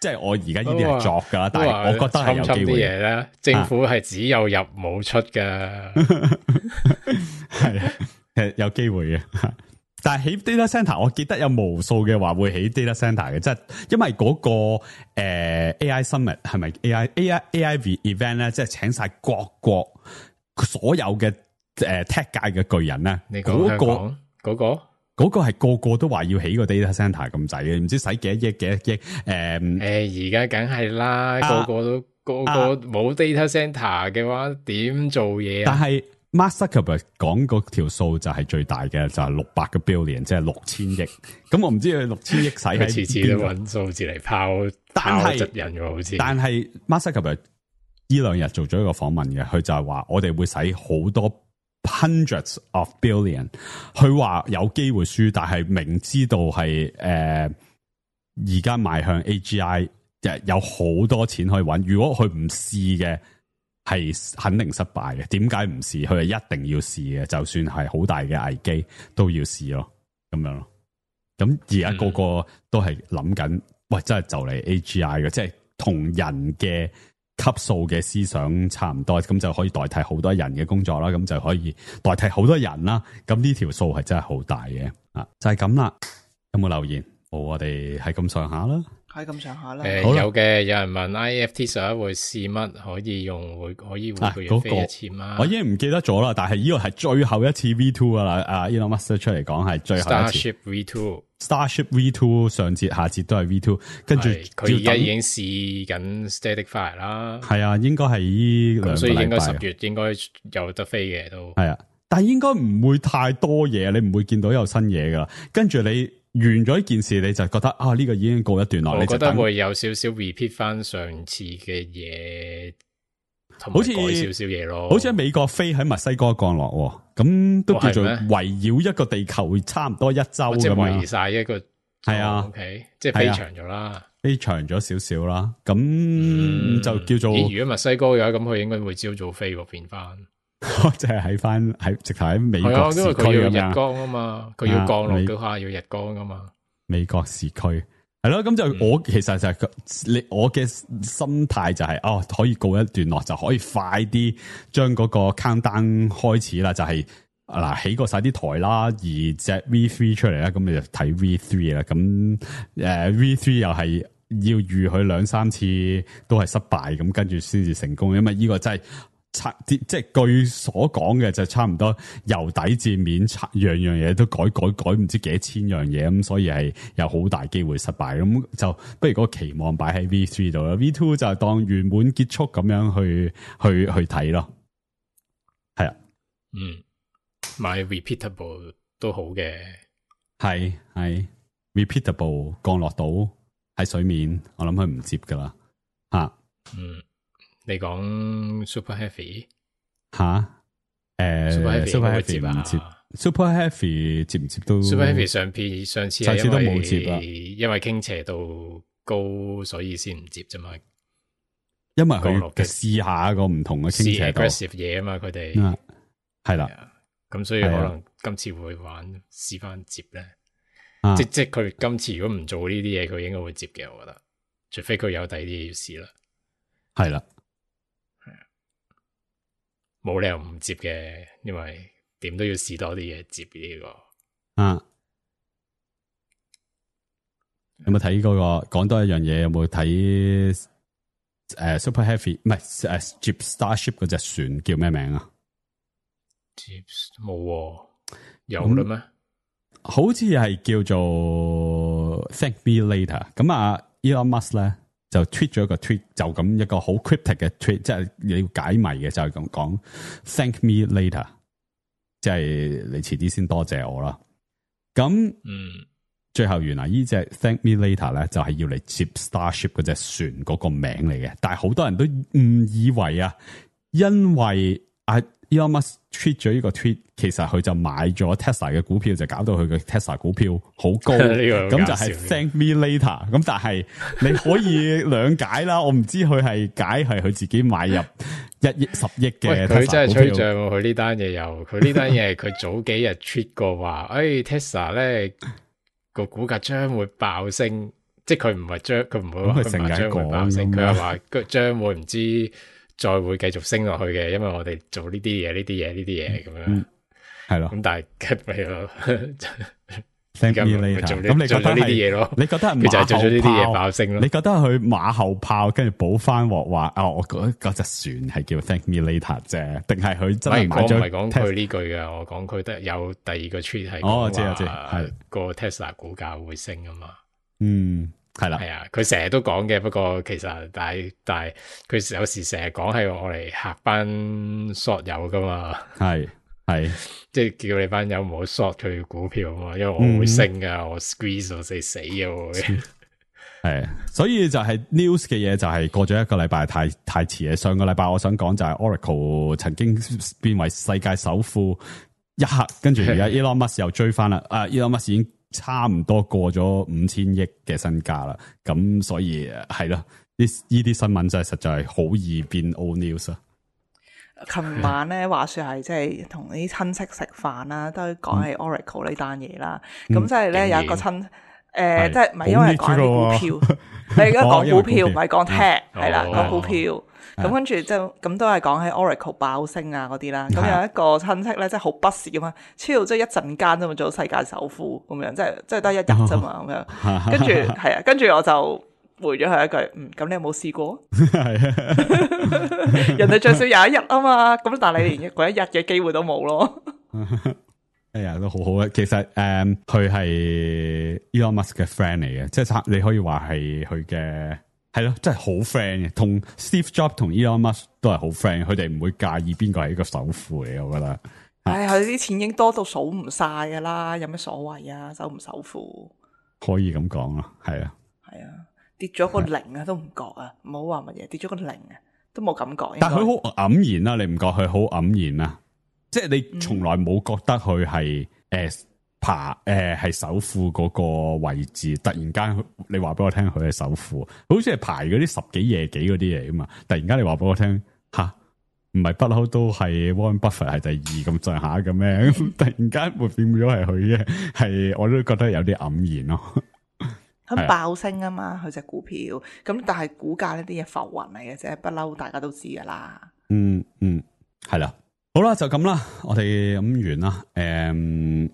即係我而家呢啲係作噶啦，但係我覺得係有機會嘢咧。政府係只有入冇出噶，係有機會嘅。但係起 data center， 我記得有無數嘅話會起 data center 嘅，即係因為嗰個AI Summit 係咪 AI event 咧，即係請晒各國所有嘅tech 界嘅巨人咧。你講香港嗰個係個個都話要起個 data center 咁滯嘅，唔知使幾多億。而家梗係啦，個個冇 data center 嘅話，點做嘢啊？但係 Mark Zuckerberg 講嗰條數就係最大嘅，就係600個 billion， 即係6000億。咁我唔知佢6000億使喺邊度，次次都揾數字嚟拋質人嘅好似。但係 Mark Zuckerberg 呢2日做咗一個訪問嘅，佢就係話我哋會使好多。hundreds of billion， 佢話有機會輸，但係明知道係而家邁向 AGI， 有好多錢可以揾。如果佢唔試嘅，係肯定失敗嘅。點解唔試？佢係一定要試嘅，就算係好大嘅危機都要試咯，咁樣咯。咁而家個個都係諗緊，喂，真係就嚟 AGI 嘅，即係同人嘅級數嘅思想差唔多，咁就可以代替好多人嘅工作啦，咁就可以代替好多人啦。咁呢條數係真係好大嘅啊！就係咁啦。有冇留言？我哋係咁上下啦，係咁上下啦。有嘅，有人問 IFT 11會試乜？可以用可以換個月飛1000嗎？我已經唔記得咗啦，但係呢個係最後一次 V2 啦。Elon Musk 出嚟講係最後一次。Starship V2 上節下節都係 V2， 跟住佢而家已經試緊 Static Fire 啦。係啊，應該係呢2個禮拜，所以應該10月應該有得飛嘅都係啊，但係應該唔會太多嘢，你唔會見到有新嘢噶啦。跟住你完咗呢件事，你就覺得呢個已經告一段落。我覺得會有少少 repeat 翻上次嘅嘢，好似改少少嘢咯。好似喺美國飛喺墨西哥降落，咁都叫做圍繞一個地球差唔多1周咁樣，即係圍晒一個係啊。OK， 即係飛長咗啦，飛長咗少少啦。咁就叫做如果墨西哥嘅話，咁佢應該會朝早飛喎，變翻。即係喺直頭喺美國市區咁樣，因為佢要日光啊嘛，佢要降落嗰下要日光啊嘛。美國市區係咯，咁就我其實就係我嘅心態就係可以告一段落，就可以快啲將嗰個 countdown 開始啦。就係起過晒啲台啦，而隻 V3 出嚟啦，咁你就睇 V3 啦。咁V3 又係要預佢2-3次都係失敗，咁跟住先至成功。因為呢個真係。即係據所講嘅就差唔多由底至面，樣樣嘢都改唔知幾多千樣嘢，咁所以係有好大機會失敗。咁就不如嗰個期望擺喺 V3 度啦， V2 就當圓滿結束咁樣去睇咯。係啊，買 repeatable 都好嘅，係 repeatable 降落到喺水面，我諗佢唔接噶啦吓。你講 Super Heavy 吓？Super Heavy 唔接 ，Super Heavy 接唔接都 Super Heavy 上次都冇接啦，因為傾斜度高，所以先唔接啫嘛。因為佢試下個唔同嘅傾斜度 aggressive 嘢啊嘛，佢哋係啦，咁所以可能今次會試翻接咧。即佢今次如果唔做呢啲嘢，佢應該會接嘅，我覺得，除非佢有第二啲嘢要試啦。係啦，冇理由唔接嘅，因為點都要試多啲嘢接呢個。有冇睇嗰個？講多一樣嘢，有冇睇Super Heavy？ 唔係接 Starship 嗰隻船叫咩名啊？接冇有啦咩？好似係叫做 Thank Me Later。咁啊 Elon Musk 咧就 tweet 咗一個 tweet， 就咁一個好 cryptic 嘅 tweet， 即係你要解謎嘅，就係咁講 Thank Me Later， 即係你遲啲先多謝我啦。咁最後原來呢隻 Thank Me Later 咧就係要嚟接 Starship 嗰隻船嗰個名嚟嘅，但係好多人都誤以為啊，因為Elon Musk tweet 咗呢個 tweet， 其實佢就買咗 Tesla 嘅股票，就搞到佢嘅 Tesla 股票好高，咁就係 Thank Me Later。咁但係你可以兩解啦，我唔知佢係解係佢自己買入1億10億嘅 Tesla 股票。佢真係吹脹喎，佢呢單嘢又，佢呢單嘢係佢早幾日 tweet 過話，Tesla 咧個股價將會爆升，即係佢唔會話佢成日將會爆升，佢係話佢將會唔知。再會繼續升落去嘅，因為我哋做呢啲嘢咁樣，係咯。咁但係咪咯 ？Thank Me Later。咁你覺得呢啲嘢咯？你覺得佢就係做咗呢啲嘢爆升咯？你覺得佢馬後炮跟住補翻鑊話我覺得嗰隻船係叫 Thank Me Later 啫，定係佢真係買咗？我唔係講佢呢句嘅，我講佢得有第二個 tweet 係我知係個 Tesla 股價會升啊嘛。係啦，係啊，佢成日都講嘅，不過其實但係佢有時成日講係我嚟嚇班 short 友噶嘛，係即係叫你班友唔好 short 佢股票啊嘛，因為我會升噶，我 squeeze 我死嘅會係，所以就係 news 嘅嘢就係過咗一個禮拜太遲嘅。上個禮拜我想講就係 Oracle 曾經變為世界首富一刻，跟住而家 Elon Musk 又追翻啦，Elon Musk 已經差唔多過咗5000億嘅身價啦，咁所以係咯，呢啲新聞真係實在係好易變 old news 啊！琴晚咧話說係即係同啲親戚食飯啦，都講起 Oracle 呢單嘢啦。咁即係咧有一個親即係唔係因為講起股票，你而家講股票唔係講 tech 係啦，講股票。咁跟住就咁都係講起 Oracle 爆升啊嗰啲啦。咁有一個親戚咧，即係好不屑咁樣，超即係一陣間啫嘛，做世界首富咁樣，即係得一日啫嘛咁樣。跟住係啊，跟住我就回咗佢一句，咁你有冇試過？人哋最少有一日啊嘛，咁但係你連嗰一日嘅機會都冇咯。哎呀，都好好啊！其實佢係 Elon Musk 嘅 friend 嚟嘅，即係你可以話係佢嘅。係咯，真係好 friend 嘅，同 Steve Jobs 同 Elon Musk 都係好 friend，佢哋唔會介意邊個係一個首富嚟，我覺得。佢啲錢已經多到數唔晒噶啦，有咩所謂啊？首唔首富？可以咁講咯，係啊，跌咗個零啊，都唔覺啊，唔好話乜嘢，跌咗個零啊，都冇感覺。但係佢好黯然啊，你唔覺佢好黯然啊？即係你從來冇覺得佢係係首富嗰個位置，突然間你話俾我聽佢係首富，好似係排嗰啲10幾夜幾嗰啲嘢啊嘛，突然間你話俾我聽唔係不嬲都係 Warren Buffett 係第二咁上下嘅咩？突然間會變咗係佢嘅，係我都覺得有啲黯然咯。佢爆升啊嘛，佢隻股票咁，但係股價呢啲嘢浮雲嚟嘅啫，不嬲大家都知噶啦。係啦。好啦，就咁啦，我哋咁完啦。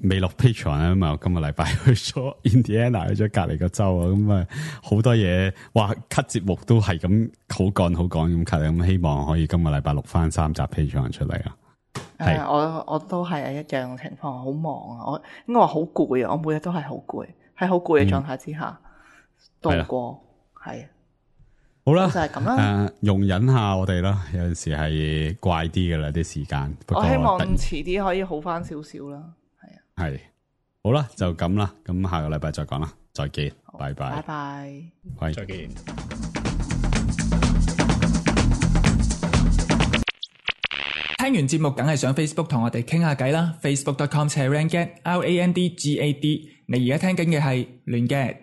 未落 Patreon 啊嘛，今個禮拜去咗 Indiana， 去咗隔籬個州啊，咁啊好多嘢，哇 cut 節目都係咁好趕咁 cut，咁希望可以今個禮拜錄翻3集 Patreon 出嚟啊。係，我都係一樣情況，好忙啊，我應該話好攰啊，我每日都係好攰，喺好攰嘅狀態之下度過，係。好啦，就係咁啦。容忍下我哋啦，有陣時係怪啲噶啦啲時間。我希望遲啲可以好翻少少啦。係啊。係。好啦，就咁啦，咁下個禮拜再講啦。再見，拜拜，拜拜，喂，再見。聽完節目梗係上 Facebook 同我哋傾下偈啦 ，facebook.com/randgad，RANDGAD。你而家聽緊嘅係亂 gad。